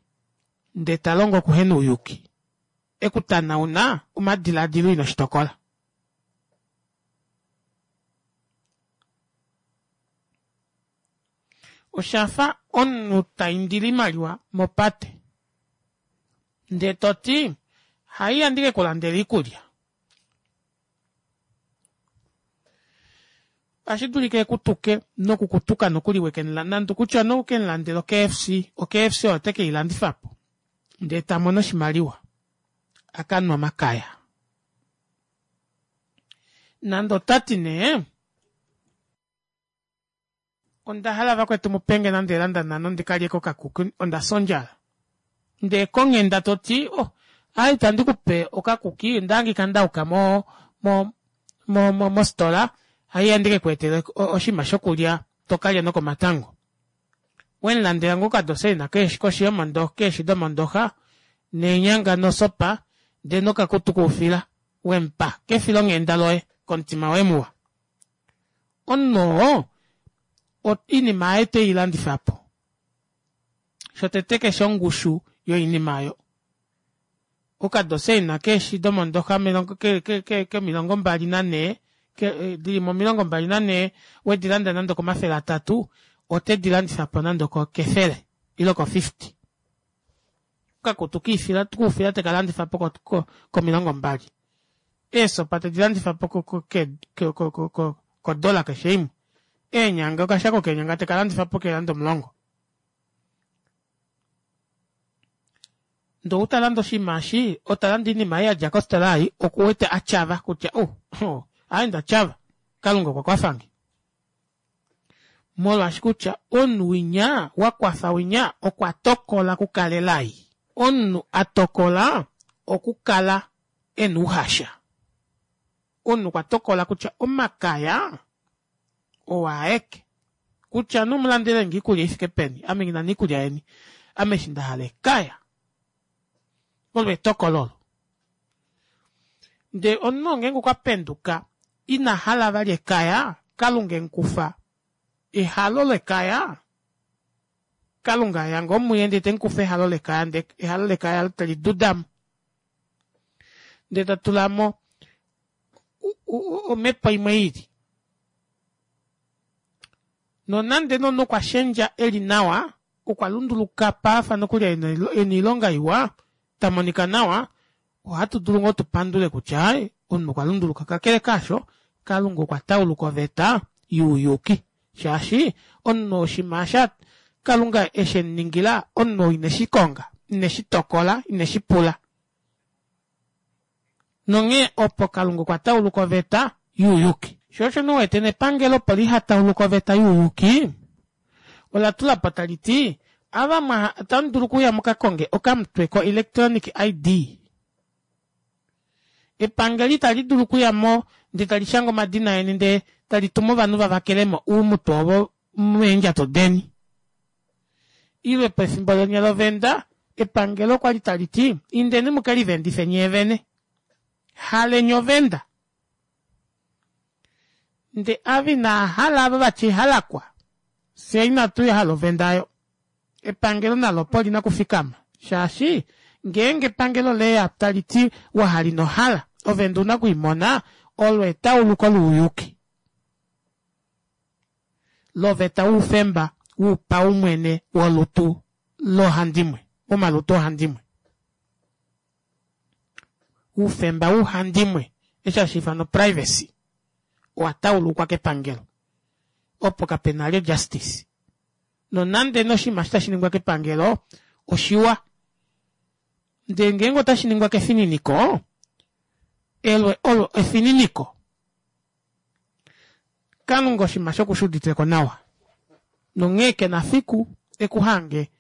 ndee ta longo okuhena ouyuki. E ku tanauna omadiladilo ino shi tokola. Osha fa omunhu ta indile oimaliwa mopate ndee to ti haiya ndi ke ku landele oikulya. Otashi dulika e ku tuke noku ku tuka nokuli weke mu nande kutya nee uke mu landele oKFC, oKFC oyo ote ke i landifa po ndee ta mono oshimaliwa a ka nwe omakaya. Nande ota ti nee Onda hala vakwetu mu penge nande eelanda nhano ndi ka lyeko okakuki onda fya ondjala. Ndee konghenda to ti oh aaye itandi ku pe okakuki onda hangika nda yuka mo mo mo mofitola haiya ndi ke ku etele oshinima shokulya to kalya nokomatango. We mu landela ngoo okadoseina keeshi koshi yomondoxa keeshi domondoxa neenyanga nosopa ndee nokakutu koufila we mu pa kefilonghenda loye komutima woye muwa. Omunhu oo oinima yaye te i landifa po. Shotete keshe ongushu yoinima oyo. Okadoseina keeshi domondoxa ke 24 dili mo 24 wedi landa nande okomafele atatu ote di landifa po nande okefele ile oko 50. Okakutu kiifila koufila teka landifa po ko20. Eesopa tedi landifa po kodola keshe imwe. Eenyanga okashako keenyanga teka landifa po keeranda omulongo. Ndee ou ta lande oshinima eshi, ou ta lande oinima ei ya dja kofitola ei, oku wete a tyava kutya oh, oh, aaye nda tyava, Kalunga okwa kwafa nge. Molwaashi kutya omunhu winya wa kwafa winya okwa tokola okukala elai. Omunhu a tokola okukala e na ouhasha. Omunhu okwa tokola kutya omakaya oo aeke. Kutya nee omulandelenge oikulya ifike peni, ame nghi na nee oikulya yeni, ame eshi nda hala ekaya. Olo etokolo olo. Ndee omunhu ngeenge okwa penduka ina hala vali ekaya, Kalunga emukufa ehalo lekaya, Kalunga eya ngoo muye ndee temukufa ehalo lekaya ndee ehalo lekaya teli dudamo. Ndee ta tulamo omhepo imwe ili. Nonande nee omunhu okwa shendja eli nawa, okwa lunduluka paafa nokuli ena oilonga iwa, ta monika nawa, ohatu dulu ngoo tu pandule kutya ai omunhu okwa lunduluka. Kakele kaasho, Kalunga okwa tauluka oveta youyuki, shaashi omunhu oshinima eshi Kalunga eshi mu ningila, omunhu ou ine shi konga, ine shi tokola, ine shi pula. Nonghee opo Kalunga okwa tauluka oveta youyuki. Sho osho nee u wete nepangelo opo liha tauluke oveta youyuki, ola tula po tali ti, Ava mwa otamu dulu okuuya mu ka konge okamutwe koelectronic ID. Epangelo itali dulu okuya mo ndee tali shange omadina eni ndee tali tumu ovanhu va vakele mo uumutwe ovo meendjato deni. Ile pefimbo lenya lovenda, epangelo okwa li tali ti, Indeni mu ke livendife nyee vene. Haleni ovenda. Nde ava inaa hala ava vati halakwa, fye inatu hala ovenda ayo. Epangelo nalo opo lina okufikama, shaashi ngeenge epangelo leya tali ti wa hala ino hala, ovenda una oku i mona, olo etauluko louyuki loveta woufemba wopaumwene wolutu loohandimwe, womalutu oohandimwe. Oufemba wouhandimwe, eshi hashi ifanwa privacy, owa taulukwa kepangelo. Opo kape na lyo justice. Nonande nee oshinima eshi tashi ningwa kepangelo oshiwa, ndee ngeenge otashi ningwa kefininiko, elo olo efininiko. Kalunga oshinima sho okushi uditile ko nawa, nonghee ke na fiku e ku hange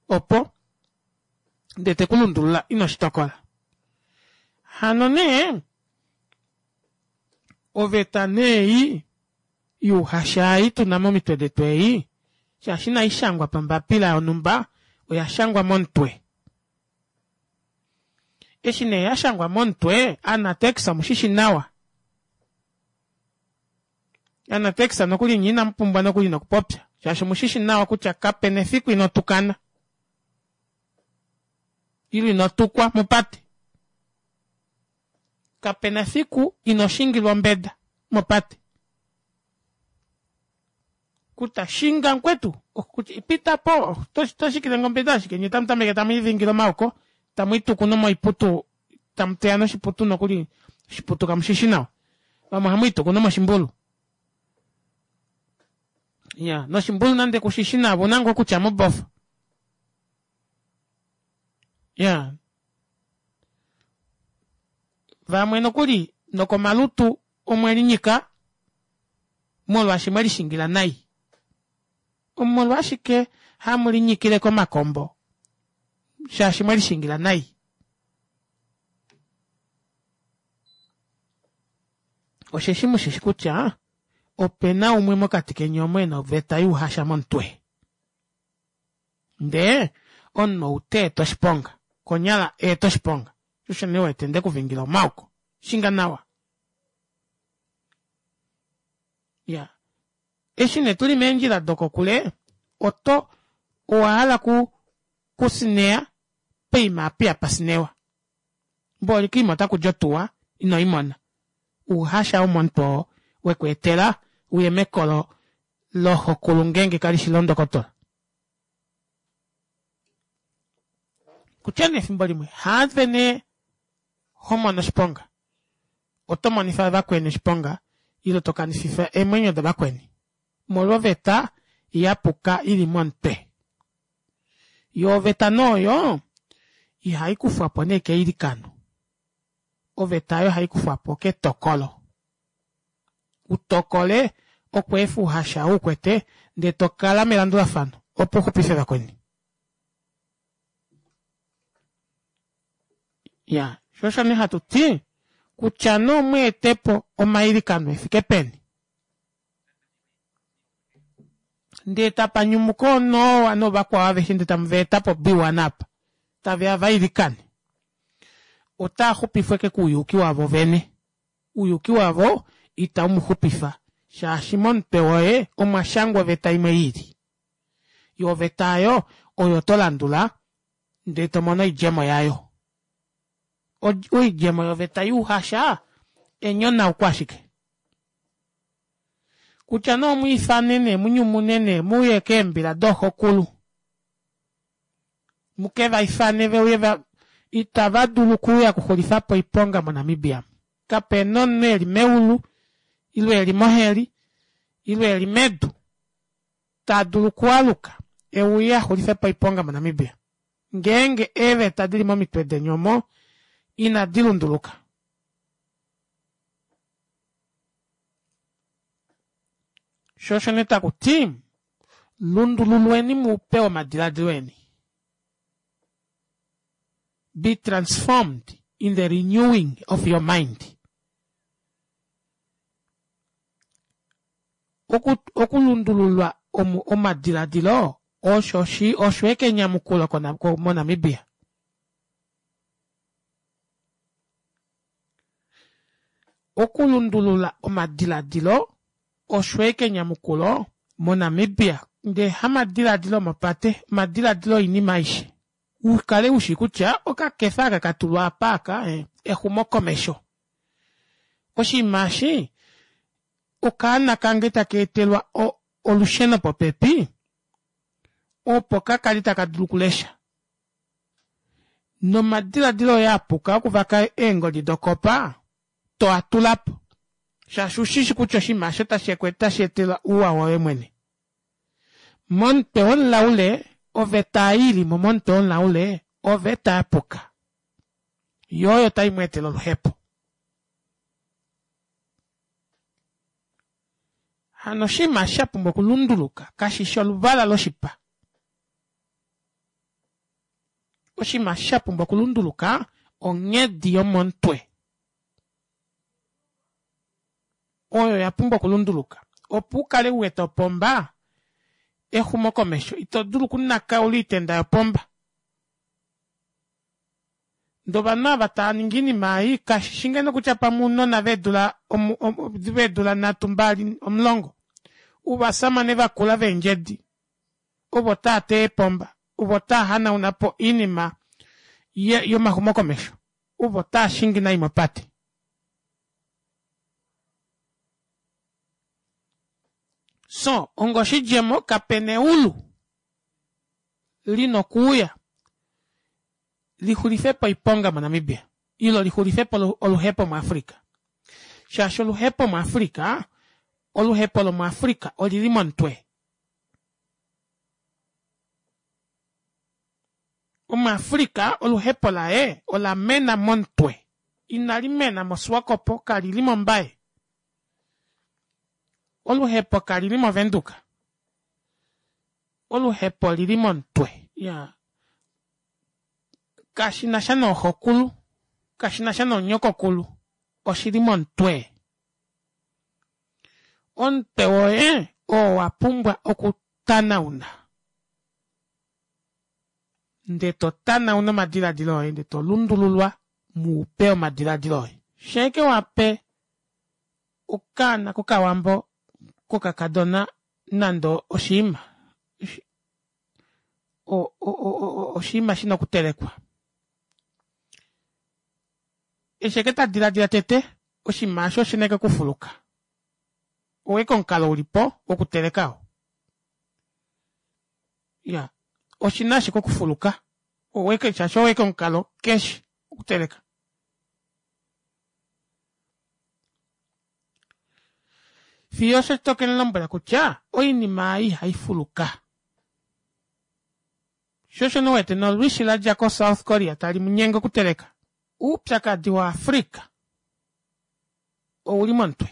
opo ndee te ku lundulula ino shi tokola. Hano nee oveta nee ei yuuhasha ei tu na momitwe detu ei, shaashi inai shangwa pambapila yonhumba, oya shangwa momutwe. Eshi nee ya shangwa momutwe, Anatex omu shi shi nawa. Anatex nokuli nye inamu pumbwa nokuli nokupopya, shaashi omu shi shi nawa kutya kape na efiku ino tukana ile ino tukwa mopate. Kape na efiku ino shingilwa ombeda mopate. Kuta shinga mukwetu, pita po, to shikile nge ombeda ashike nye tamu tameke tamu ivingile omaoko, tamu ituku nomoiputu, tamu teya noshiputu nokuli, oshiputu kamu shi shi nawa. Vamwe ohamu ituku nomoshimbulu. Ya, noshimbulu nande ku shi shi nawa, ouna ngoo okutya mobofa. Ya. Vamwe nokuli nokomalutu omwe linyika molwaashi mwe lishingila nai. Omolwashike hamu linyikile komakombo? Shaashi mwe lishingila nai. Osheshi mu shi shi kutya ope na umwe mokati keni omo e na oveta youhasha momutwe. Ndee omunhu ou ta eta oshiponga, konyala a eta oshiponga, osho nee wete nde ku vingila omaoko. Shinga nawa. Ya. Eshi nee tu li meendjila dokokule, oto, owa hala ku, ku sineya poima apa ihapa sinewa. Mboli koima otaku di otuwa ino i mona. Ouhasha womomutwe oo we ku etela uye mekolo loxokulu ngeenge kali shi londokotola. Kutya nee efimbo limwe haave nee ho mono oshiponga, oto monifa vakweni oshiponga ile to kanififa eemwenyo davakweni molwoveta ya puka i li momutwe. Yo oveta nee oyo ihai kufwa po nee keilikano, oveta oyo ohai kufwa po ketokolo. U tokole. Okweefa ouhasha ou ukwete ndee to kala melandulafano opo uxupife vakweni. Ya, sho osho nee hatu ti kutya nee omweete po omailikano efike peni ndee tapa nyumuka ooNoa noovakwao aveshe ndee tamu va eta po B1 apa tave ya va ilikane otaa xupifwa eke kouyuki wavo vene. Ouyuki wavo itau mu xupifa shaashi momutwe woye omwa shangwa oveta imwe i ili. Yo oveta oyo oyo to landula ndee to mono oidjemo yayo. Oidjemo yoveta youhasha enyonauko ashike. Kutya nee omu ifane nee mu nyumune nee mu uye keembila dooxokulu mu ke va ifane ve uye va itava dulu okuuya okuxulifa po oiponga moNamibia. Kape na omunhu e li meulu ile e li moheli ile e li medu ta dulu okualuka e uye a xulife po oiponga moNamibia ngeenge eeveta di li momitwe deni omo inadi lunduluka. Sho osho nee taku ti, lundululweni muupe womadiladilo eni. Be transformed in the renewing of your mind. Oku, okulundululwa omadiladilo osho shi osho eke enyamukulo moNamibia. Okulundulula omadiladilo osho eke enyamukulo moNamibia ndee hamadiladilo omopate, omadiladilo oinima aishe. U kale u shi kutya okakefa aka ka tulwa apa aka exumokomesho. Oshinima eshi okaana kange taka etelwa olusheno popepi opo ka kali taka dulu okulesha. Nomadiladilo oye a puka okuvaka eengodi dokopa to a tula po shaashi ushishi kutya oshinima osho otashi etelwa ouwa woye mwene. Momutwe womulaule oveta ei i li mo momutwe womulaule oveta ya puka. Yo oyo tai mu etele oluhepo. Hano oshinima sha pumbwa okulunduluka kashi shi oluvala loshipa. Oshinima sha pumbwa okulunduluka onghedi yomomutwe. Oyo ya pumbwa okulunduluka. Opo u kale u wete opomba, exumokomesho, ito dulu okunakaula oitenda yopomba. Ndee ovanhu ava tava ningi oinima ei kashi shi ngeno kutya pamwe ounona veedula veedula nhatu mbali omulongo uvasamane vakula veendjedi ovo tava teya eepomba ovo tava hanauna po oinima yomaxumokomesho ovo tava shingi nai mopate. So ongoshidjemo kapena eulu lina okuuya li xulife po oiponga moNamibia ilo li xulife po oluhepo muAfrica. Shaashi oluhepo muAfrica, oluhepo lomuAfrica oli li momutwe. Omuafrica oluhepo laye ola mena momutwe, inali mena moSwakopo, kali li mOmbaye. Oluhepo kali li mOvenduka. Oluhepo oli li momutwe. Ya. Kashi na sha nooxokulu, kashi na sha noonyokokulu, oshi li momutwe. Omutwe woye oo wa pumbwa okutanauna. Nde to tanauna omadiladilo oye, nde to lundululwa muupe omadiladilo oye. Sheeke wa pe okaana kokawambo kokakadona nande oshiima oshiima shina okutelekwa eshi eke ta diladila tete oshinima osho oshina eke okufuluka oweke omukalo ulipo wokuteleka oo ya oshina ashike okufuluka oweke shaashi oweke omukalo keshi okuteleka Fiyo osho to ke mu lombwela kutya oinima ei ihai fuluka. Sho osho nee u wete nolwishi la dja koSouth Korea tali mu nyenge okuteleka. Oupyakadi waAfrica ou li momutwe.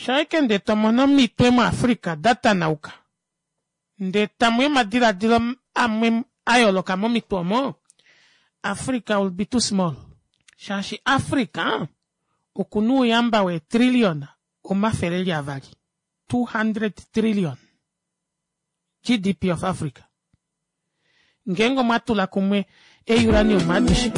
Shaike ndee to mono omitwe muAfrica da tanauka ndee tamu ya omadilaadilo amwe a yooloka momitwe omo, Africa will be too small. Shaashi Africa okuna ouyamba weetrilliona omafele eli avali, 200 trillion GDP of Africa. Ngeenge omwa tula kumwe eeuranium adishe.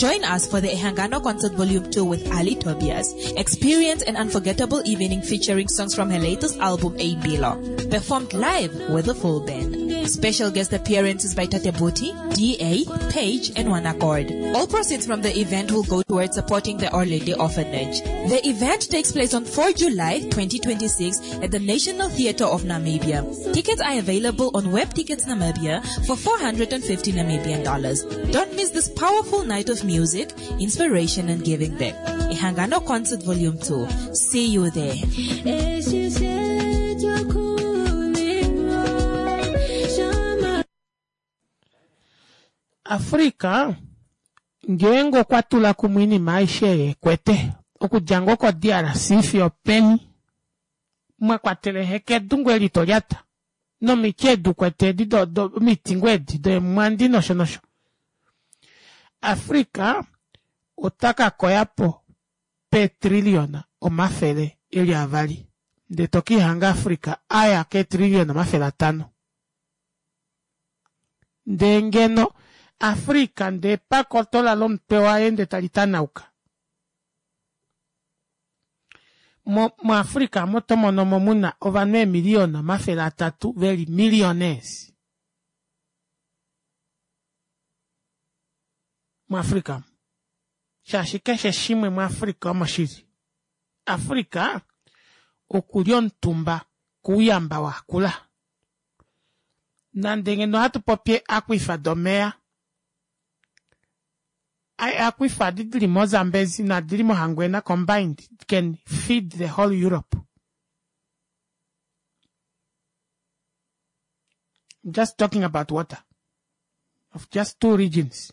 Join us for the Ehangano Concert Volume 2 with Ali Tobias. Experience an unforgettable evening featuring songs from her latest album, A Bilo, performed live with a full band. Special guest appearances by Tate Booty, DA, Page, and One Accord. All proceeds from the event will go towards supporting the Orlady Orphanage. The event takes place on 4 July 2026 at the National Theatre of Namibia. Tickets are available on Web Tickets Namibia for 450 Namibian dollars. Don't miss this powerful night of music, inspiration, and giving back. Ihangano Concert Volume 2. See you there.
Africa ngeenge okwa tula kumwe oinima aishe ei ekwete okudja ngoo ko-D_R_C fiyo openi mwa kwatela ehekedu ngoo eli to lyata nomiti edi ukwete edi omiti ngoo edi deemwandi nosho nosho. Africa ota ka koya po peetrilliona omafele eli avali ndee to ka ihanga Africa aya keetrilliona 500. Ndee ngeno Africa ndee pakotola lomutwe waye ndee tali tanauka. Mo, muAfrica omo to mono mo muna ovanhu eemiliyona 300 veli millionaires. MuAfrica omo. Shaashi keshe shimwe muAfrica omo shili. Africa oku li omutumba kouyamba wakula. Nande ngeno ohatu popi eeaquifer domeya, eeaquifer adi dili moZambezi naadi dili moHangwena combined can feed the whole Europe. I'm just talking about water of just two regions.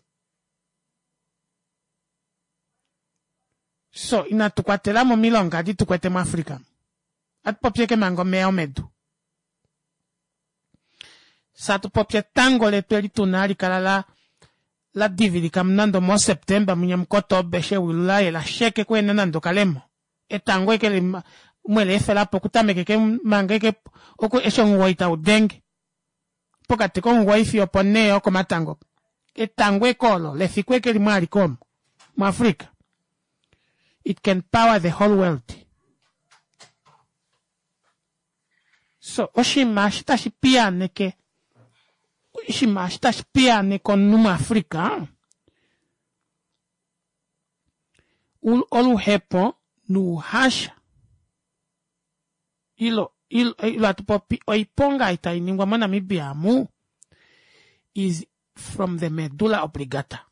So inatu kwatela mo omilonga adi tu kwete muAfrica. Ohatu popi ashike manga omeya omedu. Satu popi etango letu eli tuna hali kala la la divilika nande omoSeptemba mwinya muKotoba eshi ewilu la yela sheke kuhena nande okalemo. Etango eke li mwele efela po okutameka eke manga eke oku eshi omuwoi tau denge pokati komuwoi fiyo oponhee yokomatango. Etango eke olo lefiku eke limwe alike omu muAfrica. It can power the whole world. So oshinima eshi tashi piyaaneke oshinima eshi tashi piyaaneke omunhu muAfrica oluhepo nouhasha ilo ilo ilo hatu popi oiponga ei tai ningwa moNamibia amu is from the medulla obligata.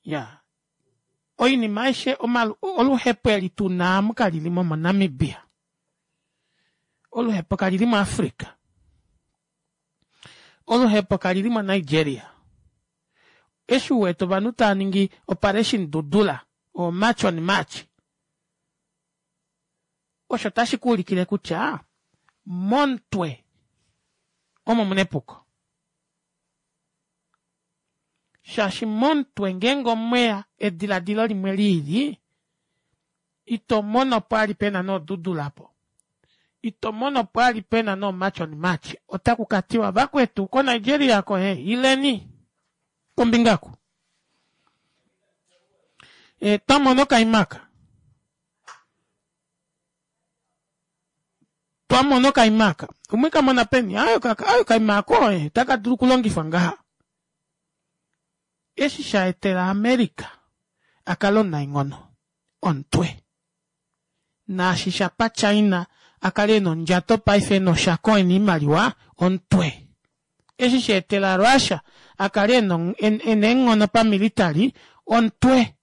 Ya oinima aishe oluhepo eli tu na amu kalili mo moNamibia. Oluhepo kalili muAfrica. Oluhepo kalili moNigeria. Eshi u wete ovanhu tava ningi operation Dudula o March on March, osho tashi ku ulikile kutya momutwe omo muna epuko. Shaashi momutwe ngeenge omweya ediladilo limwe liili, ito mono pwali pena noodudula po. Ito mono pwali pena noomarch on march. Otaku ka tiwa vakwetu koNigeria ko he ileni kombinga ku. E, twa mona okaimaka. Twa mona okaimaka. Omwe ka mona peni? Ayo ka, ayo okaima ako e, taka dulu okulongifwa ngaha. Eshi sha etela America a kale omunaenghono, omutwe. Naashi sha pa China a kale e na ondjato paife e na oshako e na oimaliwa, omutwe. Eshi sha etela Russia a kale e na e na eenghono pamilitali, omutwe.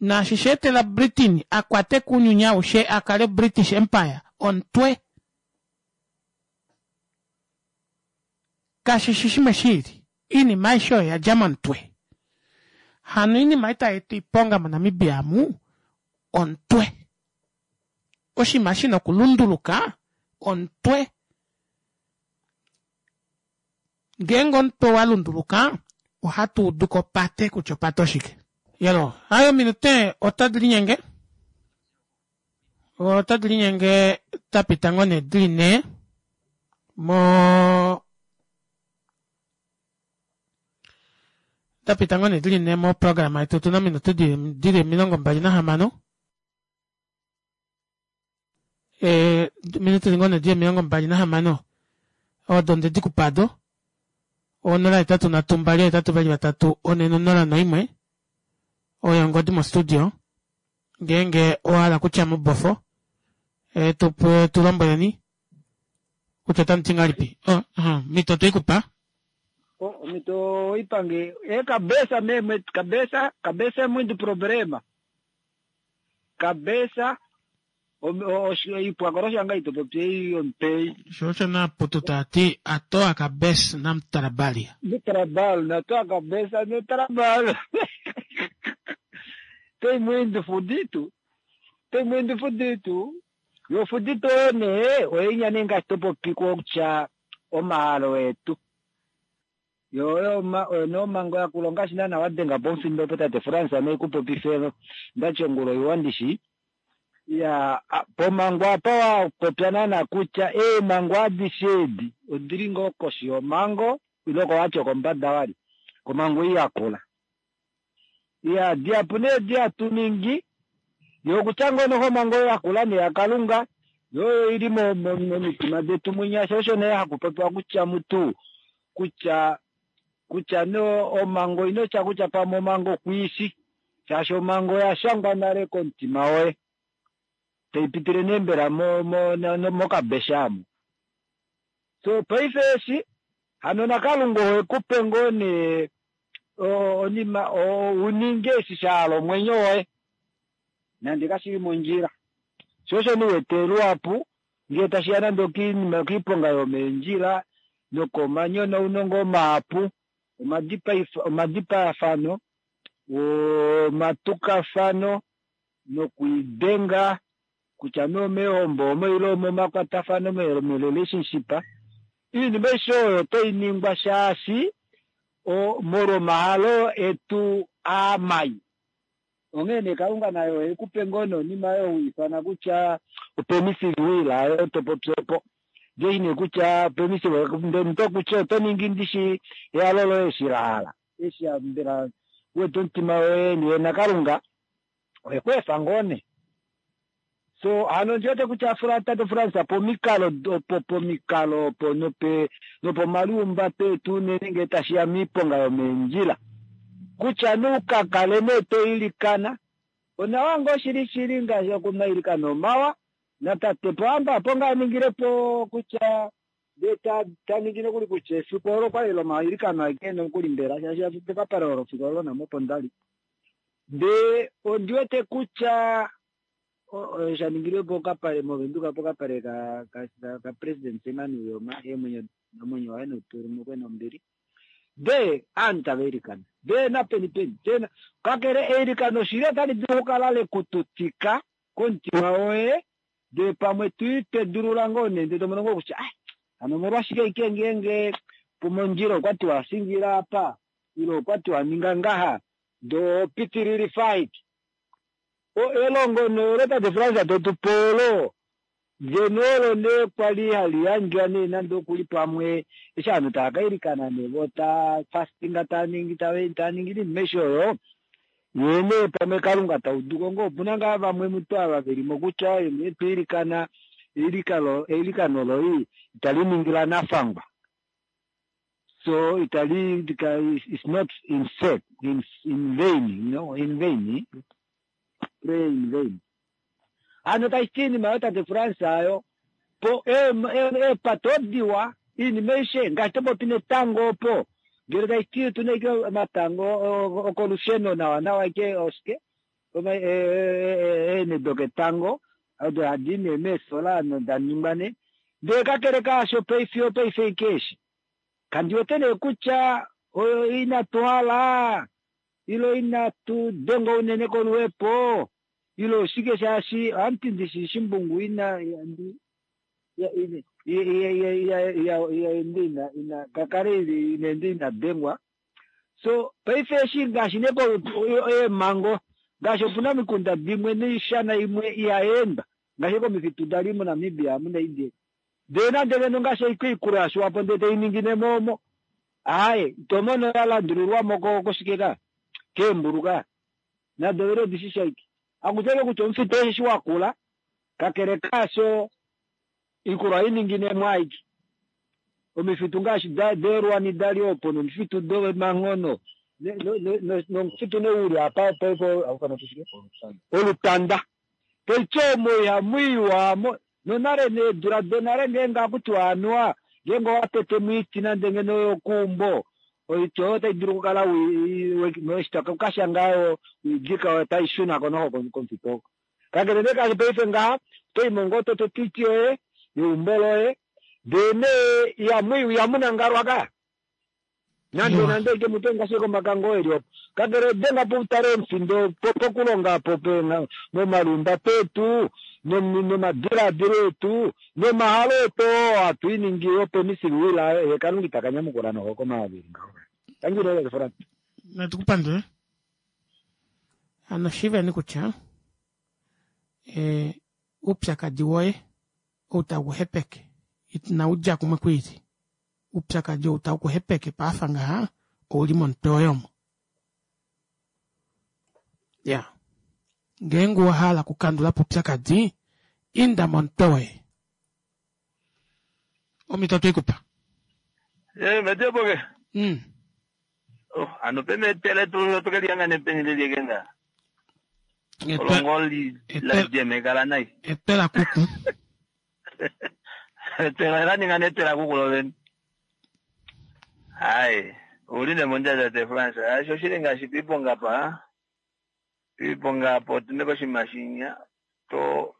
Naashi sha etela Britain a kwate ko ounyuni aushe a kale British Empire, omutwe. Kashi shi shimwe shiili. Iinima aishe oyo oya dja momutwe. Hano oinima ei tai eta oiponga moNamibia amu, omutwe. Oshinima shi na okulunduluka, omutwe. Ngeenge omutwe owa lunduluka, ohatu udu ko opate kutya opate oshike. Yelo, hai ominute otadi linyenge. Otadi linyenge da pita ngoo nee dili nhee mo da pita ngoo nee dili nhee moprograma yetu otuna ominute dili 26 eh, ominute ngoo nee dili 26 odo ndedi kupa do 083 283 401 oyo ongodi mostudio ngeenge owa hala kutya mubofo e, tu, tu lombweleni kutya otamu ti ngahelipi oh, uh, mito twei kupa
Oh, mito ipange é cabeça mesmo, é cabeça, cabeça é muito problema. Cabeça ipwa shanga itopopye ompei.
Sho osho naputu taa ti a toa cabeça não trabalha.
No trabalho, na tua cabeça no trabalho. Tem muito fudido. Tem muito fudido. Yo fudido ne, oinya nenga topopi kutya omahalo etu. Yo yo ma no mango ya kulonga shina na wadenga pomfindo po tate France ne kupopife ndachongulo iwandishi. Ya pomango apa wapopya nana kutya eemango adishe edi odili ngoo koshi yomango ile kowacho kombada wali komango iyi yakula. Ya diapu nee diatu ningi yokutya ngoo noho omango yakula neyakalunga yo ili momitima detu mwinya sho osho nee hakupopiwa kutya mutu kutya kutya no omango inotya kutya pamwe omango kwiishi shaashi omango oyashangwa nale komutima woye taipitile nee mbela mokabesha amo. So paife eshi hano nakalunga ohekupe ngoo nee onima uninge eshi shahala omwenyo woye nande kashili mondjila. Sho osho niwete luhapu ngee tashiya nande okiinima okiiponga yomeendjila nokomanyonauno ngoo mahapu omadipayafano omatukafano nokwiidenga kutya nee omeehombo omo ile omomakwatafano merelationship iinima aishe oyo otai ningwa shaashi molwa omahalo etu aamai. Onghee nee Kalunga naye ohekupe ngoo nonima oyo huifana kutya opermissive will ayo topopi opo. Ndee nee kutya permissive ndee kutya oto ningi ndishi ehalo loye eshi la hala. Eshi mbela uwete omutima woye nee naKalunga ohekweefa ngoo nee. So hano ndiwete kutya tate Frans pomikalo opo pomikalo opo nope nopomaliumbato etu unene ngee tashiya miiponga yomeendjila kutya nuukakale nee toilikana onawa ngoo shili shili ngaashi okumailikano omawa natate Pohamba opo ngaa aningilepo kutya ndee taningi nokuli kutya efiku olo kwali lomailikano aeke nokuli mbela shaashi pekapale olo fiku olo namo opo ndali ndee ondiwete kutya shaningilwe pokapale movenduka pokapale ka, ka, ka, ka president Sam Nujoma eemwenyo omwenyo waye notulumukwe nombili ndee aanhu tava ilikana ndee napeni peni ndee kakele eilikano shili otali dulu okukala lekututika komutima woye ndee pamwe twiitedulula ngoo nee ndee tomono ngoo kutya ah hano omolwashike ike ngeenge mondjila okwati wasingila apa ile okwati waninga ngaha ndee opitililifa elongo neolo tate Frans totupe olo ngeno olo nee kwali hali yandjwa nee nande okuli pamwe eshi ovanhu tava kailikana nee vo taa fastinga taningi taningi inima aishe oyo yee nee pamwe Kalunga tauduko ngoo opuna ngaa vamwe mutu ava velimo kutya nee twiilikana eilikano loi itali ningi lanafangwa so itali it's not in set in, in vain you know in vain pray in vain. Hano tashi ti iinima yo tate France ayo po eepate odiwa iinima aishe ngaashi topopi netango opo ngele tashi ti otuna ike omatango okolusheno nawa nawa ike oshike eene doketango odo hadi nee meesola noda ningwa nee ndee kakele kaasho paife opaife ike eshi Kandi wete nee kutya oyo inatu hala ile inatu dengwa unene koluhepo ile oshike shaashi ohamuti ndishi shimbungu ina ina kakale ina ina dengwa. So paife eshi ngaashi nee eemhango ngaashi opuna omikunda dimwe noishana imwe ihayeendwa ngaashi komifitu dali moNamibia amuna indi ndee nande ngeno ngaashi oikuikulu yashiwapo ndee tainingine mo omo aaye ito mono ya landulilwamo koshike ka keembulu ka nado vene odishi shaike akutya kutya omufitu osheshi wakula kakele kaasho oikulu ohainingine mo aike omifitu ngaashi deelwani dali opo nomifitu domanghono nomufitu nee uli apa paife olutanda taiti omo ihamu iwa nonale needula donale ngeenge akutiwa anuwa ngeenge owatete moiti nande ngeno yokuumbo oiti oyo otai dulu okukala ukashanga oidika oyo tai shunako noho komufitu oko. Kakele nee kaashi paife ngaha otoimo ngoo totete oiti yoye yeumbo loye ndee nee ihamu nangalwa ka nande nande ike mutu ngaashi komakango eli opo kakele denga po utale omufindo pokulonga po momalunda petu nomadiladilo etu nomahalo etu oo hatu iningi opo emisiwila ye Kalunga ita kanyamukula noho komavili ngaho. Tangi Frans.
Natu kupandule. Hano shiiveni kutya uupyakadi woye ou tau ku hepeke inau dja kumwe kwiili. Uupyakadi ou tau ku hepeke paafa ngaha ouli momutwe woye omo. Ya. Ngeenge owa hala okukandula po oupyakadi, inda momutwe woye. Omhito otwe i ku pa.
Eh, Metieboke. Oh, ano pene etele tu tu kelihangane peni lelieke nga. Olongoli la jemekala nai.
Etela kuku.
Etela la ninga netela kuku lovene. Hai, uli nemondjadja te France. Asho shili ngaashi piiponga pa. Piiponga apo otune koshinima shinya. To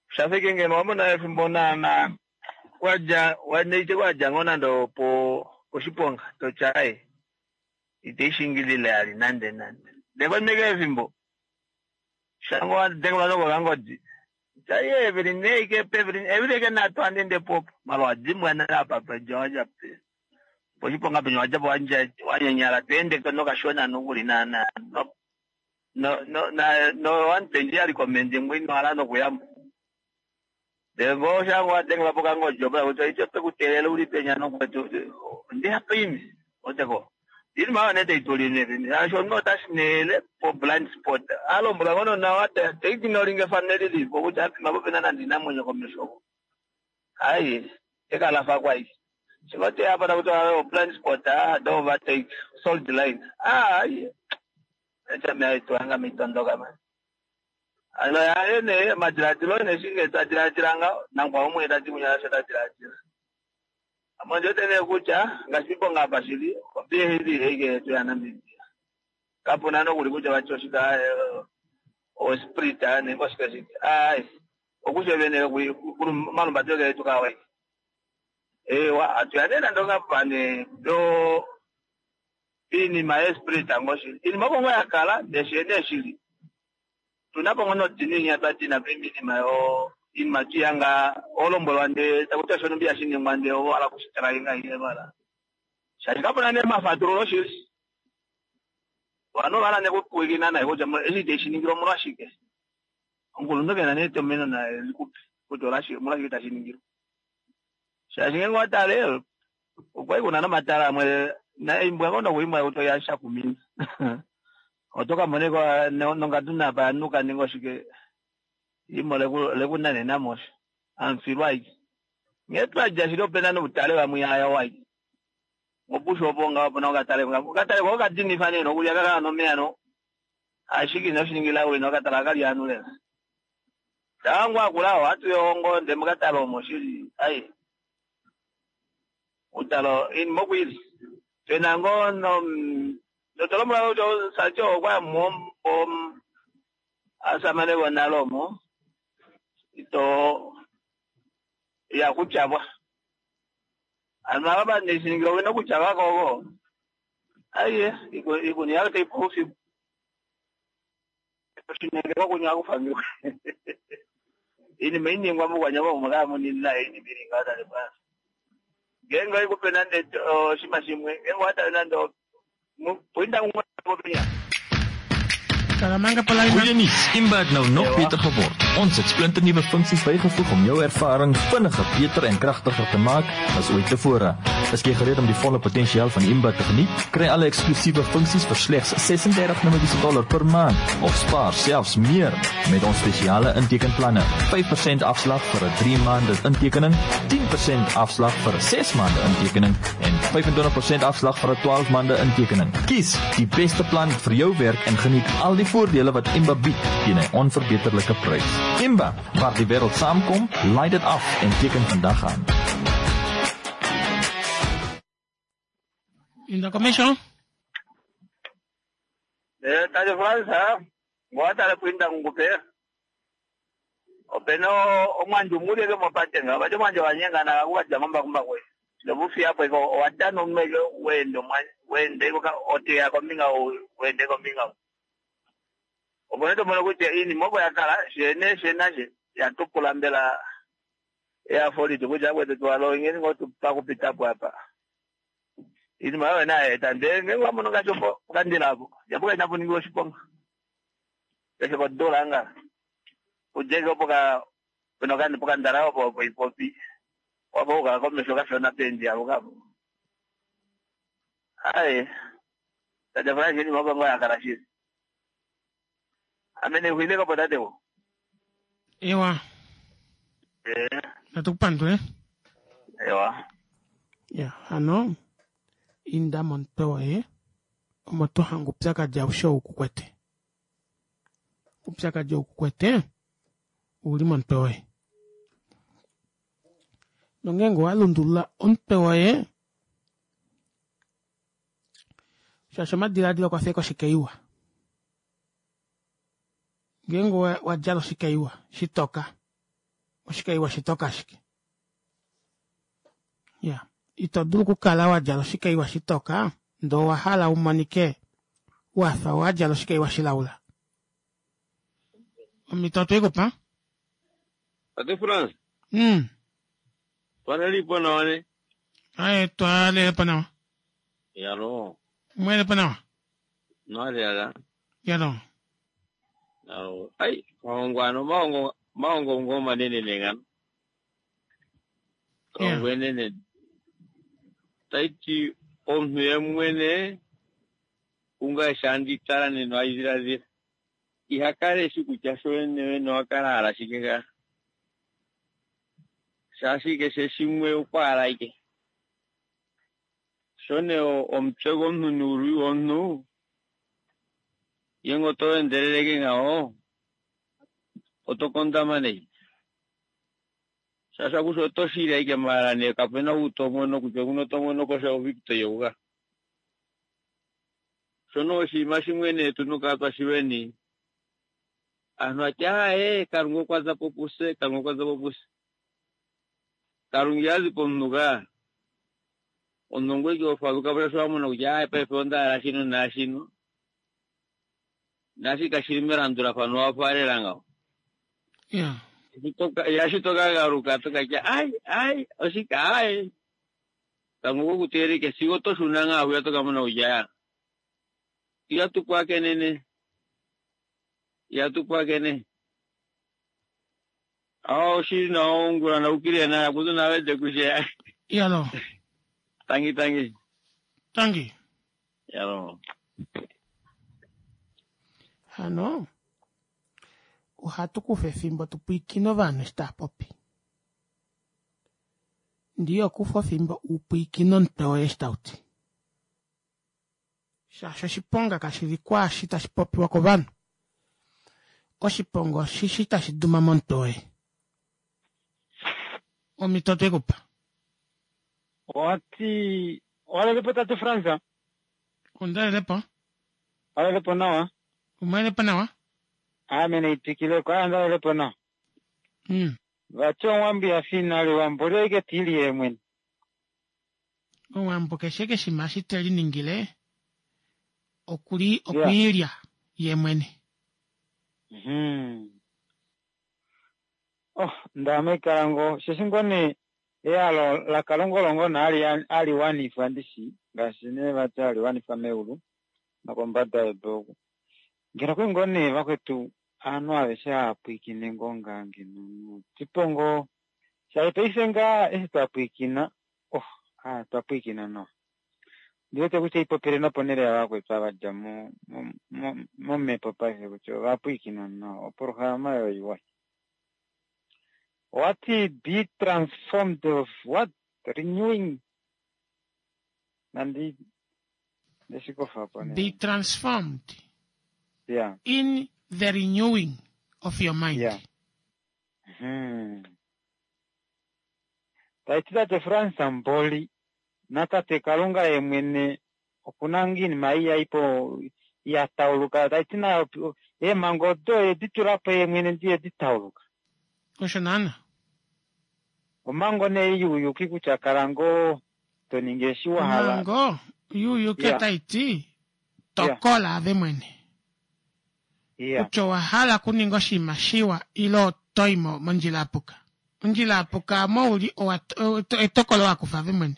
shafike ngeno wamona efimbo naana wadja waneite wadja ngoo nande opo oshiponga totya ai iteishingilile ali nande nande. Ndee konima efimbo shango wadengelwa nokokangodi tya evili neike pevili evili eke nhatu handiende popo mala wadimbwa nale apa pedja wadja pe poshiponga penya wadjapo wanyanyala tweende nokashona nokuli naana no no no no wantenji yali komende ngwe ino nokuyamo. Ndee ngoo shango wadengelwa pokangodi opo kutya ite pekuteelela uli penya nokwetu ndihapa imi oteko iinima oyo nee taitulile shaashi omunhu otashi neele po blind spot alombwela ngono nawa taitinolinga efano lilipo kutya apima po pena nande inamwenyo komesho oko hayi ekalafa kwai shingo teya apa takuti blind spot don't overtake solid line hayi echame aitwanga mitondoka mani ano yaye nee omadiladilo nee shinge twadiladila ngaho nangwa umwe tati kunya sho tadiladila amonde wete nee kutya ngaashi piiponga apa shili obiehili eike yetu yaNamibia kapuna nokuli kutya vati oshika osprit nenge oshike shike ai okusha vene malumbatelo ketu kawai ewa atuya nee nande ongapane yo iinima yesprit ngoshili iinima opo ngoo yakala ndee nee shili tuna po ngoo nodininya twatina piinima yo iinima tuyanga olombwelwa ndee takuti shonumbi yashiningwa ndee owahala kushitalainga ile vala shaashi kapuna nee mafatululo shili vanhu vala nekupwikina naye kutya eshi iteshi omolwashike omukulunhu kena nee etomeno naye likupe kutya omolwashike tashi ningilwa shaashi ngeenge watale okwali kuna nomatala amwe imbwa ngoo nokuimbwa kutya oyashakumina oto kamoneko nongadu napa yanuka ninga oshike imo lekunanena mosho amufilwa aike ngee twadja shili opena noutale vamwe haya waike ngopusha opo ngaho opena okatale okatale ko okadinifa nee nokulya kakala nomeya no ashike inoshiningila uli nokatala akali anu lela tangu akula ohatu yohongo nde mokatale omo shili ai utalo iinima okwili pena ngoo no notolombwela kutya sacho okwaya mo asamane vonale omo ito ya kutyabwa. Ano ava vaneshiningila owina kutya vakogo aiye ikuni yavo taipu usiku oshinenge kokunya kufangiwa inima iningwa mukwanyama umwe kamunina inima ili ngaho tate bwana ngeenge oikupe nande oshinima shimwe ngeenge owatale nande puinda umwe popinya
Goeie nuus, Imba het nou nog beter geword. Ons het splinternuwe funksies bygevoeg om jou ervaring vinniger, beter en kragtiger te maak as ooit tevore. Is jy gereed om die volle potensiaal van Imba te geniet? Kry alle eksklusiewe funksies vir slegs 36 Namibiese dollar per maand of spaar selfs meer met ons spesiale intekenplanne. 5% afslag vir 'n 3 maande intekening, 10% afslag vir 'n 6 maande intekening en 25% afslag vir 'n 12 maande intekening. Kies die beste plan vir jou werk en geniet al die voordele wat Imba bied teen 'n onverbeterlike prys. Imba, waar die wêreld saamkom, laai dit af en teken vandag aan.
Inda komesho.
Eh, tate Frans, ngowatale kuinda kungupe opena omwandji omuleke mopate nga vati omwandji wanyengana kakukadja mambakumbaku novufiyapo iko owatana omumeke wende wende iko oteya kombinga wende kombinga opo nee tomono kutya iinima opo yakala shene shenashe yatukula mbela ehafo litu kutya akwetu tuwalongeni ngoo pakupitapo apa iinima oyo nayeeta ndee ngenge wamono ngaashi opo okandila apo japo kainapo ningiwa oshiponga keshe kodula nga udjeke opo ka pena okandi pokandala opo opo ipopi wapo ukala komesho kashona pendi apo kapo aye tate Frank iinima opo ngoo yakala shili ame nexuileko po tate wo
Ewa,
Eh,
natu kupandule.
ewa
Ya, hano inda momutwe woye omo to hange oupyakadi aushe ou kukwete. Oupyakadi ou kukwete ouli momutwe woye. Nongeenge owa lundulula omutwe woye, shaashi omadilaadilo okwa feka oshikeiwa. Ngeenge wa djala oshikeiwa shitoka, oshikeiwa shitoka ashike. Ya, ito dulu okukala wa djala oshikeiwa shitoka ndee owa hala umonike wafa wa djala oshikeiwa shilaula. Omhito otweikupa?
Tate France, twalelipo nawa ne?
Aye, twalelepo nawa.
Yalo,
Mwelepo nawa?
nwalelala.
Yalo.
Yalo, ai, mahongo ano, mahongo, mahongo ngo manene nengano. Kahongo enene. Taiti, omunhu ye mwene, unga shandi tala neno aidhiladhila. Iha kala eshi kutya sho wene wene owa kala hala shike ka. Shaashi keshe shimwe okwa hala ike. Sho nee omutwe gomuntu nuuluyi womuntu, ngenge oto endeleleke ngaho, oto kondama nayi. Shaashi akushe oto shili ashike maala nee kapena ou tomono kutya okuno tomono ko sha oVictor youka. Shono oshinima shimwe nee tuna okukala twashilweni. Aantu atya aaye Kalunga okwa za po puse, Kalunga okwa za po puse. Kalunga ihazi pomunhu ka. Omunhu ongoye ike hofaluka po shaashi owa mona kutya aaye paife onda hala shino naashino. Naashi kashili melandulafano owa faalela ngaho.
Ya.
Eshi to ka galuka to ka tya ai ai oshike aaye. Kalunga okwe ku teelela ike sigo oto shuna ngaa hwiya to ka mona kutya ihatu pwaakenene. Ihatu pwaakene. Oshili nawa ongula naukile nawa kutu nawede kushe.
Yalo.
Tangi tangi.
Tangi.
Yalo.
Hano ohatu kufa efimbo tu pwiikine ovanhu eshi tava popi. Ndiyo kufa efimbo u pwiikine omutwe woye eshi tau ti. Shaashi oshiponga kashi li kwaashi tashi popiwa kovanhu. Oshiponga oshishi tashi duma momutwe woye. Omhito otwe ku pa.
Owati owalelepo tate Frans?
Ondalelepo.
Walelepo nawa?
Umwelepo nawa?
Ame naitwikileko, aa ndalelepo nawa. Vati omwambi ya fi nale wamboli oike tiili yeemwene.
Omuwambo keshe keshima eshi te liningile okuli okwiilya ye mwene.
Mhm. Oh, ndaame kala ngoo osheshi ngoo nee ehalo laKalunga olo ngoo nee hali wanifwa ndishi ngaashi nee vati hali wanifwa meulu nokombada yedu oku. Ngeno okuli ngoo nee vakwetu ovanhu aveshe hava pwiikine ngoo ngaa ngeno notipo ngoo shaashi paife ngaa eshi twa pwiikina oh aa twa pwiikina nawa. Ondi wete kutya ipopile noponhele yavakwetu ava va dja momhepo paife kutya ova pwiikina nawa opolohalama oyo iwa. Owati be transformed of what? Renewing nandi ndeshikofa po
Be transformed yeah. in the renewing of your mind.
Yeah. Hmm. Tai ti tate Frans Mboli natate Kalunga ye mwene oku na ngoo iinima ei ya po ya tauluka tai ti nayo eemhango odo e di tula po ye mwene ndi e di tauluka.
Osho naana.
Omhango nee youyuki kutya kala ngoo to ningi eshi wa hala.
Omhango youyuki otai ti tokola ave mwene. Kutya owa hala okuninga oshinima shiwa ile oto i mondjila ya puka. Ondjila ya puka omo u li etokolo wa kufa ove mwene.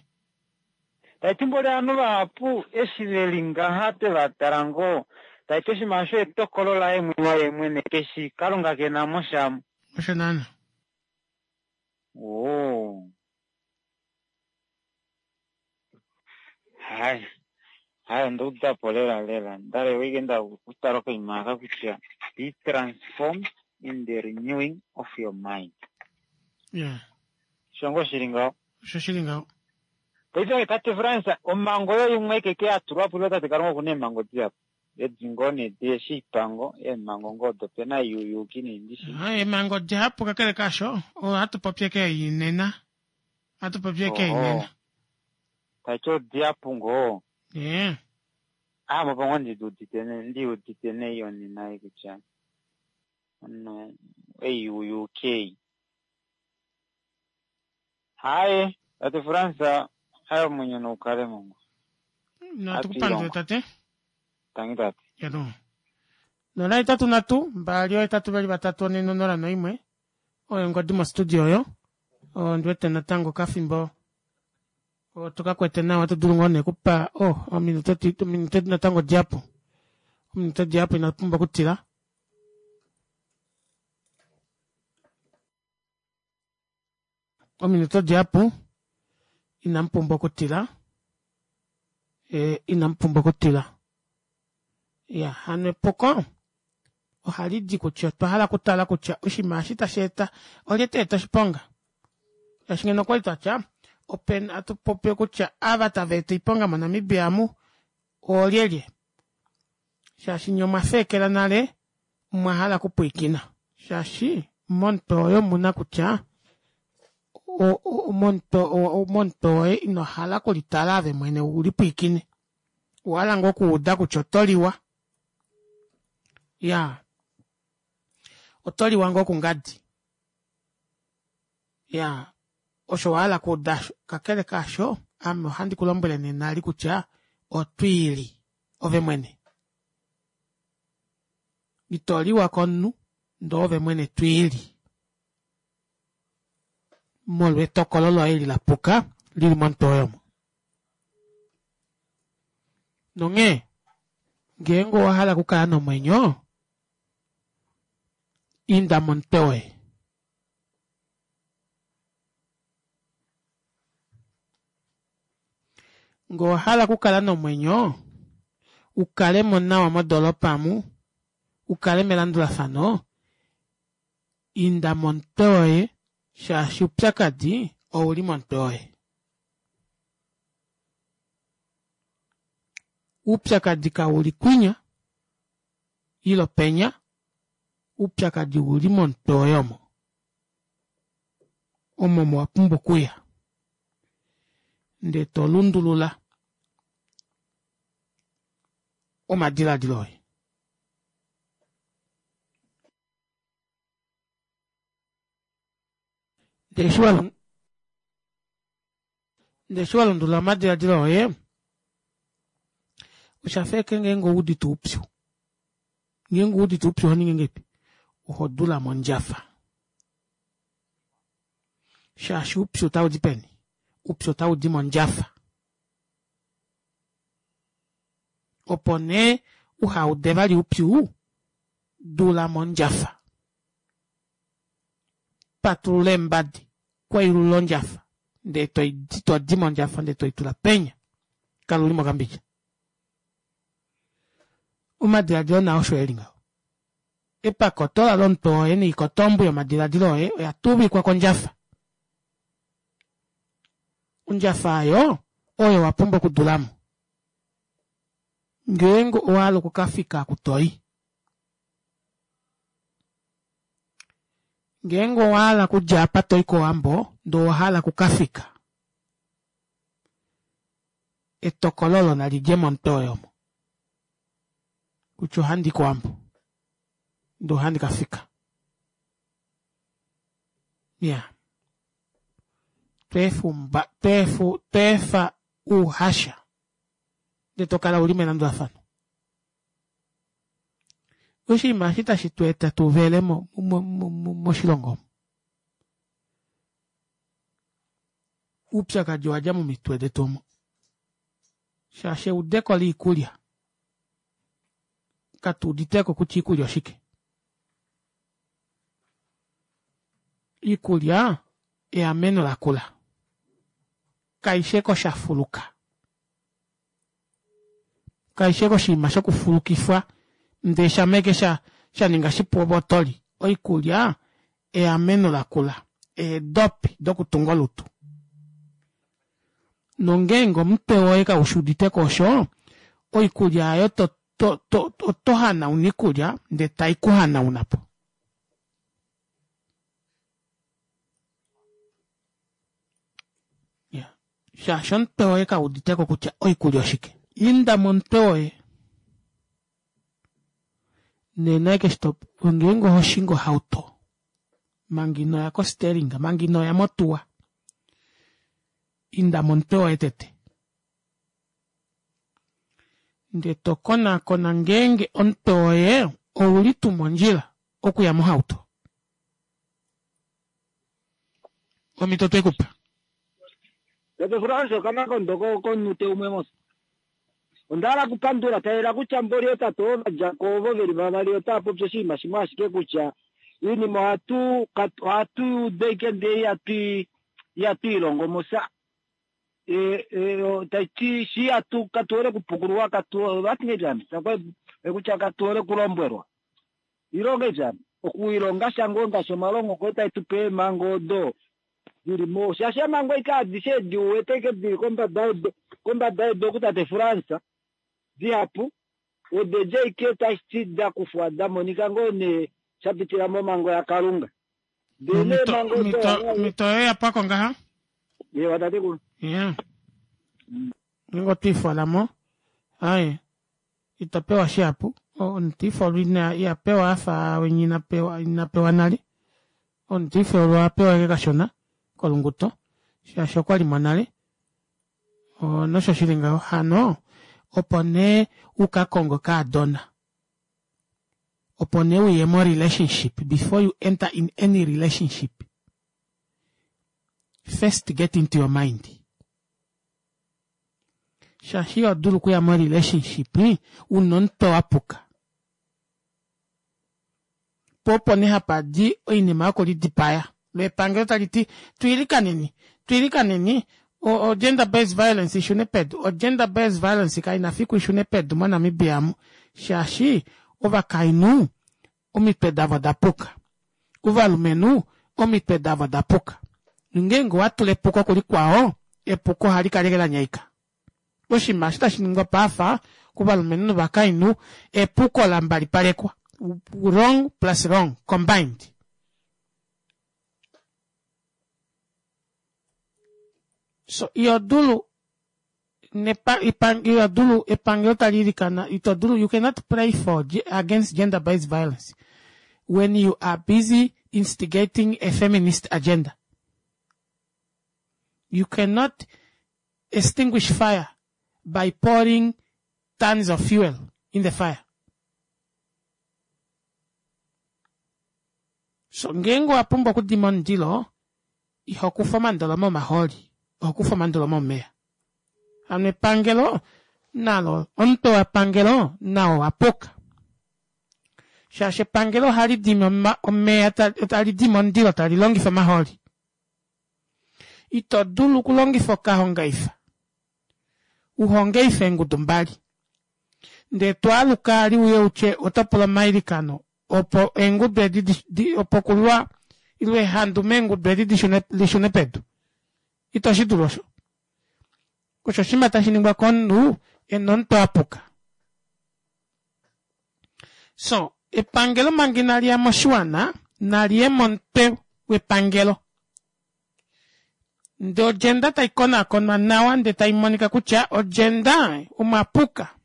Taiti mboli ovanhu vahapu eshi veli ngaha twe va tala ngoo, taiti oshinima osho etokolo laye mwene mwene keshi Kalunga kena mo sha.
Osho naana.
Ooh. Hai, hai onda udapo lela lela. Ndale wike nda kutala okaima aka kutya be transformed in the renewing of your mind.
Yeah.
Osho ngoo shili ngaho.
Osho shili ngaho.
Paife tate Frans, omhango oyo imwe ekeke ya tulwa po, tate Kalunga oku na eemhango dihapu. Edi ngoo nee deeshiipango, eemhango ngoo odo ope na youyuuki nee ndishi.
Ah, eemhango dihapu kakele kaasho, ohatu popi eke ei nena. Ohatu popi eke ei nena.
Taiti odihapu ngoo.
Yeah.
Ah, mopo ngoo ndi udite ndi udite nei onena ei kutya omunhu ei youyuuki ei. Haye, tate Frans, haye omwenyo noukale mongo.
Natu kupandule tate.
Tangi tate.
Yano. 083 2 8 2 4 0 1 oyo ongodi mostudio oyo. Ondi wete natango kafimbo otu ka kwete nawa to dulu ngoo nee kupa oh ominute ominute natango dihapu. Ominute dihapu ina pumbwa okutila. Ominute dihapu inamu pumbwa okutila e, inamu pumbwa okutila ya hano epuko ohali di kutya otwa hala okutala kutya oshinima eshi tashi eta olye ta eta oshiponga shaashi ngeno okwali twa tya open atu popi kutya ava tava eta oiponga moNamibia amu oolyelye shaashi nye omwa feekela nale mwa hala okupwiikina shaashi momutwe woye omu na kutya momutwe woye ino hala okulitala ave mwene u lipwiikine owa hala ngoo okuuda kutya oto liwa ya oto liwa ngoo kungadi ya osho wa hala okuuda osho kakele kaasho ame ohandi ku lombwele nena li kutya otwiili ove mwene Ito liwa komunhu ndee ove mwene twiili molwa etokolo loye eli la puka lili momutwe woye omo. Nonghee ngeenge owa hala okukala nomwenyo, inda momutwe woye. Ngee owa hala okukala nomwenyo, u kale mo nawa modoolopa amu, u kale melandulafano, inda momutwe woye shaashi oupyakadi ou li momutwe woye. Oupyakadi kau li kwinya ile penya, oupyakadi ou li momutwe woye omo. Omo omo wa pumbwa okuya ndee to lundulula omadiladilo oye. Ndele eshi wa lundulula omadiladilo oye, osha fa eke ngeenge ou udite oupyu. Ngeenge ou udite oupyu oho ningi ngahelipi? Oho dula mondjafa. Shaashi oupyu otau di peni? Oupyu otau di mondjafa. Opo nee uha ude vali oupyu, dula mondjafa. Patulula eembadi, kweyulula ondjafa, ndee to di mondjafa ndee toi tula penya. Kala u li mokambidja. Omadiladilo nao osho e li ngaho. Epakotola lomutwe woye noikotombu yomadiladilo oye oya tuvikwa kondjafa. Ondjafa oyo oyo wa pumbwa okudula mo ngeenge owa hala oku ka fika ku to i. Ngeenge owa hala okudja apa to i kOwambo ndee owa hala oku ka fika, etokolo olo nali dje momutwe woye omo kutya ohandi i kOwambo ndee ohandi ka fika. Ya. Tweefa tweefa ouhasha ndee to kala u li melandulafano. Oshinima eshi tashi tu eta tu vele mo, mo, mo, mo, moshilongo omu. Oupyakadi owa dja momitwe detu omo. Shaashi eudeko liikulya katu uditeko kutya iikulya oshike. Iikulya eameno lakula. Kaishe koshafuluka. Kaishe koshinima shokufulukifwa ndee shameke sha sha ninga shipu ove oto li. Oikulya eameno lakula. Eedopi dokutunga olutu. Nongeenge omutwe woye kaushi uditeko osho, oikulya aayo to to to oto hanauna iikulya ndee tai ku hanauna po. Shaashi omutwe woye kau udite ko kutya oikulya oshike. Inda momutwe woye. Nena eke shi to, ngeenge oho shingi ohauto, manga ino ya kosteringa, manga ino ya motuwa, inda momutwe woye tete. Ndee to konakona ngeenge omutwe woye ouli tuu mondjila okuya mohauto. Omhito twe ku pa.
Tate Frans okamakondo komunute umwe mos. Onda hala okupandula talela kutya mboli ootate ovo va dja ko ovo ve li vavali otava popi oshinima shimwe ashike kutya oinima ohatu ohatu i udu ashike ndele ihatu i ihatu i longo mos. Tai ti shi ihatu katu hole okupukululwa katu vati ngahelipi hano kutya katu hole okulombwelwa. Ilonga eshi hano, okuilonga sha ngoo ngaashi omalongo ngoo tae tu pe eemhango odo dili mo, shaashi eemhango aike adishe edi u wete ike dili kombada yedu, kombada yedu oku tate France, dihapu, ode di aike tashi ti da kufwa da monika ngoo nee sha pitila momhango yaKalunga. Ndele nee eemhango odo
Omhito, omhito yoye ya pwako ngaha.
Ewa tatekulu.
Yeah. Ngeenge otwe i fola mo, aye. Ito pewa shihapu. Omutifolwa ina iha pewa a fa winya ina pewa ina pewa nale. Omutifolwa oha pewa ashike kashona kolunguto shaashi okwa li mo nale. Nosho shi li ngaho hano opo nee u ka konge okaadona. Opo nee u ye mo relationship before you enter in any relationship first get into your mind. Shaashi iho dulu okuya mo relationship una omutwe wa puka. Po opo nee hapa di oinima yokulidipaya. Lo epangelo tali ti twiilikaneni, twiilikaneni o, o gender based violence ishune pedu. O gender based violence kai na fiku ishune pedu moNamibia amu shaashi ovakainhu omitwe davo oda puka. Ovalumenhu omitwe davo oda puka. Nongeenge owa tula epuko kulikwao, epuko ohali kala ashike la nyaika. Oshinima eshi tashi ningwa paafa kovalumenhu novakainhu, epuko la mbalipalekwa. Wrong plus wrong combined. So iho dulu nepa, iho dulu epangelo tali ilikana, ito dulu, you cannot pray for against gender based violence when you are busy instigating a feminist agenda. You cannot. Extinguish fire by pouring tons of fuel in the fire. So ngeenge owa pumbwa okudima omundilo, iho kufa omandoloma omahooli, oho kufa omandoloma omeya. Hano epangelo nalo, omutwe wepangelo nao owa puka. Shaashi epangelo ohali dimi omeya, tali dimi omundilo tali longifa omahooli. Ito dulu okulongifa okahongaifa u hongeife eengudu mbali, ndee to aluka ali uye utye oto pula omailikano opo eengudu edi di, opo kulwa ile ehandu meengudu edi di shune, li shune pedu. Ito shi dulu osho. Osho oshinima tashi ningwa komunhu e na omutwe wa puka. So, epangelo manga inali ya moshiwana, nali ye momutwe wepangelo. Ndee odjenda tai konakonwa nawa ndee tai monika kutya odjenda omwa puka.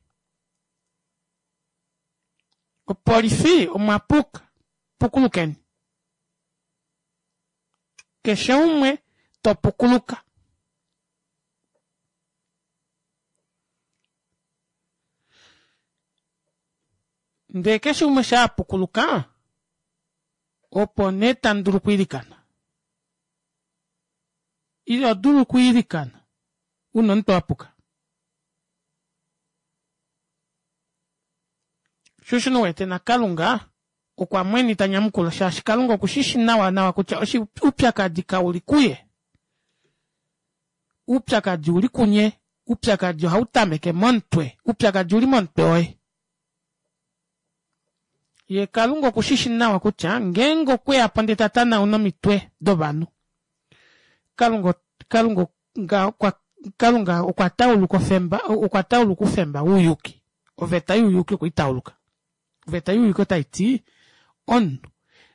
Opolifi omwa puka. Pukulukeni. Keshe umwe to pukuluka. Ndee keshe umwe sha pukuluka, opo nee tamu dulu okwiilikana. Ito dulu okwiilikana una omutwe wa puka. Sho osho nee uwete naKalunga okwa mwena ita nyamukula shaashi Kalunga oku shi shi nawa nawa kutya oupyakadi kau li kuye. Oupyakadi uli kunye. Oupyakadi ohau tameke momutwe. Oupyakadi uli momutwe woye. Ye Kalunga oku shi shi nawa kutya ngeenge okwe ya po ndele ta tanauna omitwe dovanhu, Kalunga, Kalunga, okwa, Kalunga okwa tauluka ofemba, okwa tauluka oufemba wouyuki. Oveta youyuki okwe i tauluka. Oveta youyuki otai ti omunhu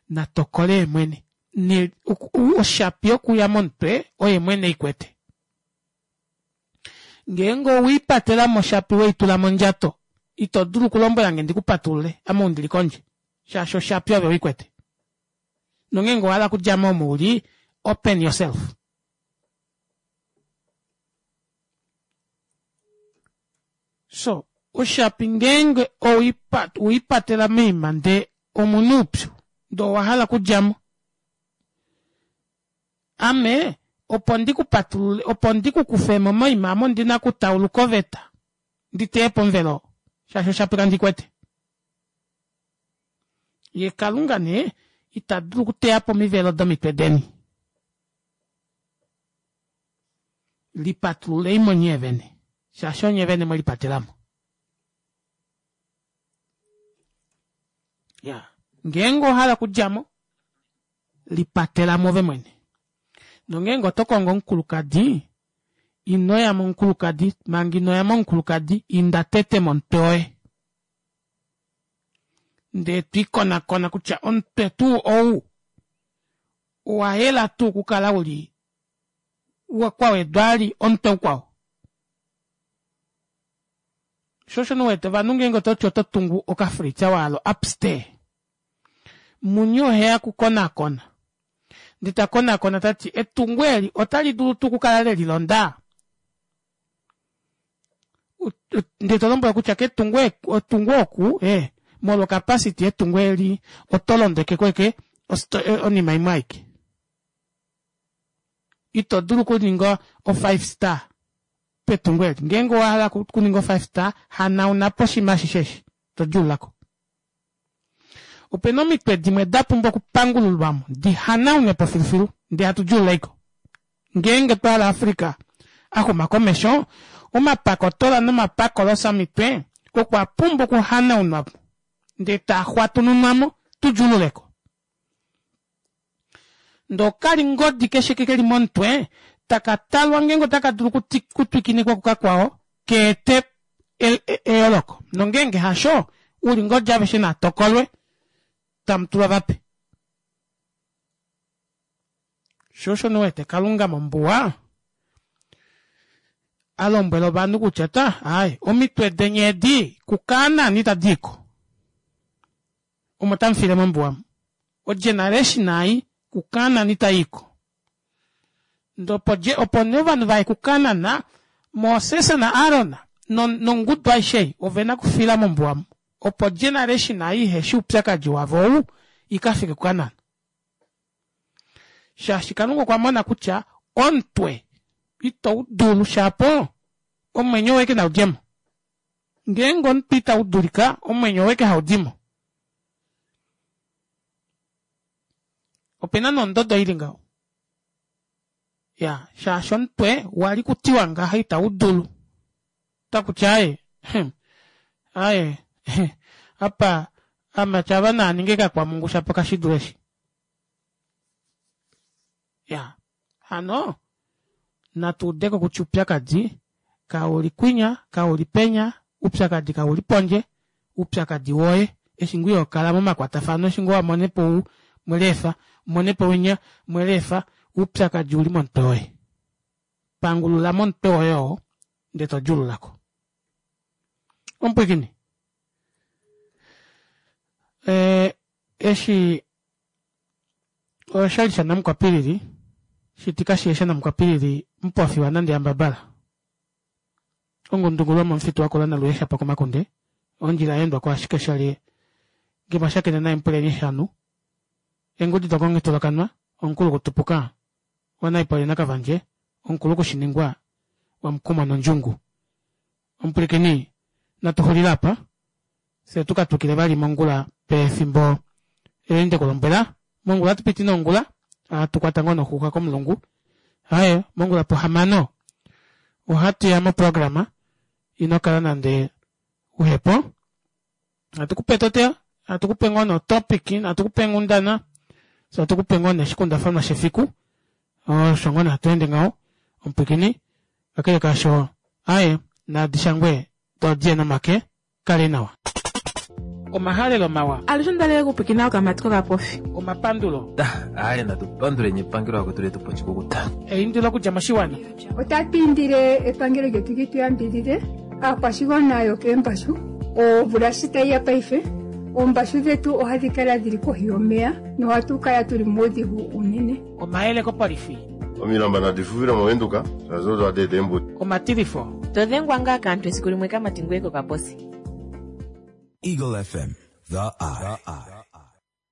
na tokole ye mwene. Ne, oshapi yokuya momutwe oye mwene i kwete. Ngeenge owe i patela moshapi we i tula mondjato, ito dulu okulombwela nge ndi ku patulule ame ou ndi li kondje, shaashi oshapi ove oi kwete. Nongeenge owa hala okudja mo omo u li, open yourself. So, oshapi ngeenge owe i patela moima ndee omu na oupyu, ndee owa hala okudja mo, Ame opo ndi ku patulule, opo ndi ku kufe mo moima ame ondi na okutauluka oveta, ndi teye po omuvelo oo, shaashi oshapi kandi kwete. Ye Kalunga nee ita dulu okuteya po omivelo domitwe deni. Lipatululei mo nye vene, shaashi onye vene mwe lipatela mo. Ya, ngeenge owa hala okudja mo, lipatela move mwene. Nongeenge oto kongo omukulukadi, ino ya momukulukadi, manga ino ya momukulukadi, inda tete momutwe woye. Ndee to ikonakona kutya omutwe tuu ou owa yela tuu okukala u li kwa wedwa ali omutwe ukwao. Sho osho nee wete ovanhu ngeenge oto ti oto tungu okafritza waalo upstairs, Muni oheya okukonakona. Ndee ta konakona ta ti, Etungo eli otali dulu tuu okukala le lilonda? Ndee to lombwelwa kutya ketungo etungo oku, ee, molwa okapasiti yetungo eli, oto londeke ko eke onima imwe aike. Ito dulu okuninga o-five star petungo eli. Ngeenge owa hala okuninga o-five star, hanauna po oshinima ashishe eshi, to djuulula ko. Ope na omitwe dimwe da pumbwa okupangululwa mo, di hanaunwe po filufilu, ndee hatu djuulula ko. Ngeenge twa hala Africa a xuma komesho, omapakotola nomapakolosa omitwe okwa pumbwa okuhanaunwa po, ndee taa xwatununwa mo, tu djuulule ko. Ndee okalingodi keshe ke li momutwe taka talwa ngeenge otaka dulu okutwikinikwa kukakwao ka ete eyooloko, nongeenge hasho, oulingodi aveshe naa tokolwe, tamu tulwa vape. Sho osho nee wete Kalunga mombuwa a lombwela ovanhu kutya ta, aaye, omitwe deni edi kuKaanan itadi i ko. Omo tamu file mombuwa mu. Ogeneration ei kuKaanan itai i ko. Ndee opo, opo nee ovanhu va ye kuKaanan. Moses naAron nongudu aishe ei ove na okufila mombuwa omu, opo generation ei iheshi oupyakadi wavo ou i ka fike kuKanaan. Shaashi Kalunga okwa mona kutya omutwe itau dulu shapo omwenyo weke nau dje mo. Ngeenge omutwe itau dulika, omwenyo weke hau di mo. Ope na nondodo ili ngaho. Ya, shaashi omutwe wali kutiwa ngaha itau dulu. Takuti aye, aye, apa amati ava naa ninge kakwamungu shapo kashi dule eshi. Ya, hano natu udeko kutya upyakadi kauli kwinya, kauli penya, upyakadi kauli pondje, upyakadi woye eshi ngoo ihokala momakwatafano, eshi ngoo wamonepo ou mweleefa, umonepo winya mweleefa, upyakadi uli momutwe woye. Pangulula momutwe woye oo ndee to djuululako. Omupwiikini, eh, eshi oshali shanamukwapilili shiti kashiye shanamukwapilili mupofi wanande yambabala ongundungulu yomomufitu wakula naluye shapo komakunde ondjila yaendwa ashike shali nge mwashakene naye mupuleni eshanu engudi dokongitulakanwa omukulu kutupuka wanaipole nakavandje omukulu kushiningwa wamukumwa nondjungu omupulikini natu xulile apa fye tuka twikile vali mongula pefimbo eli ndekulombwela mongula ohatu piti nongula ohatu kwata ngoo noxuuxa komulungu aye mongula pohamano ohatu ya moprograma ino kala nande uhepo hatu kupe totea hatu kupe ngoo notopic hatu kupe nghundana so hatu kupe ngoo neshikundafanwa shefiku osho ngoo hatu ende ngaho omupwikini kakele kaasho aye nadishangwe dodie nomake kale nawa omahalelo mawa
Alushe ondalele okupwikina okamati kokapofi.
Omapandulo.
Aye natupanduleni epangelo akwetu letu pochikukuta.
Eindilo okudja moshiwana.
Otatu indile epangelo lyetu li tu yambidhidhe aakwashigwana yokeembashu omvula shi tayi ya paife oombashu dhetu ohadhi kala dhili kohi yomeya nohatu kala tuli muudhigu unene.
Omayele kopolifi.
Omilamba nadi fufile moVenduka shaashi odo hadi eta eembuto.
Omatilifo.
To dhengwa ngaa kaantu esiku limwe kamati ngoye kokaposi.
Eagle FM, the eye.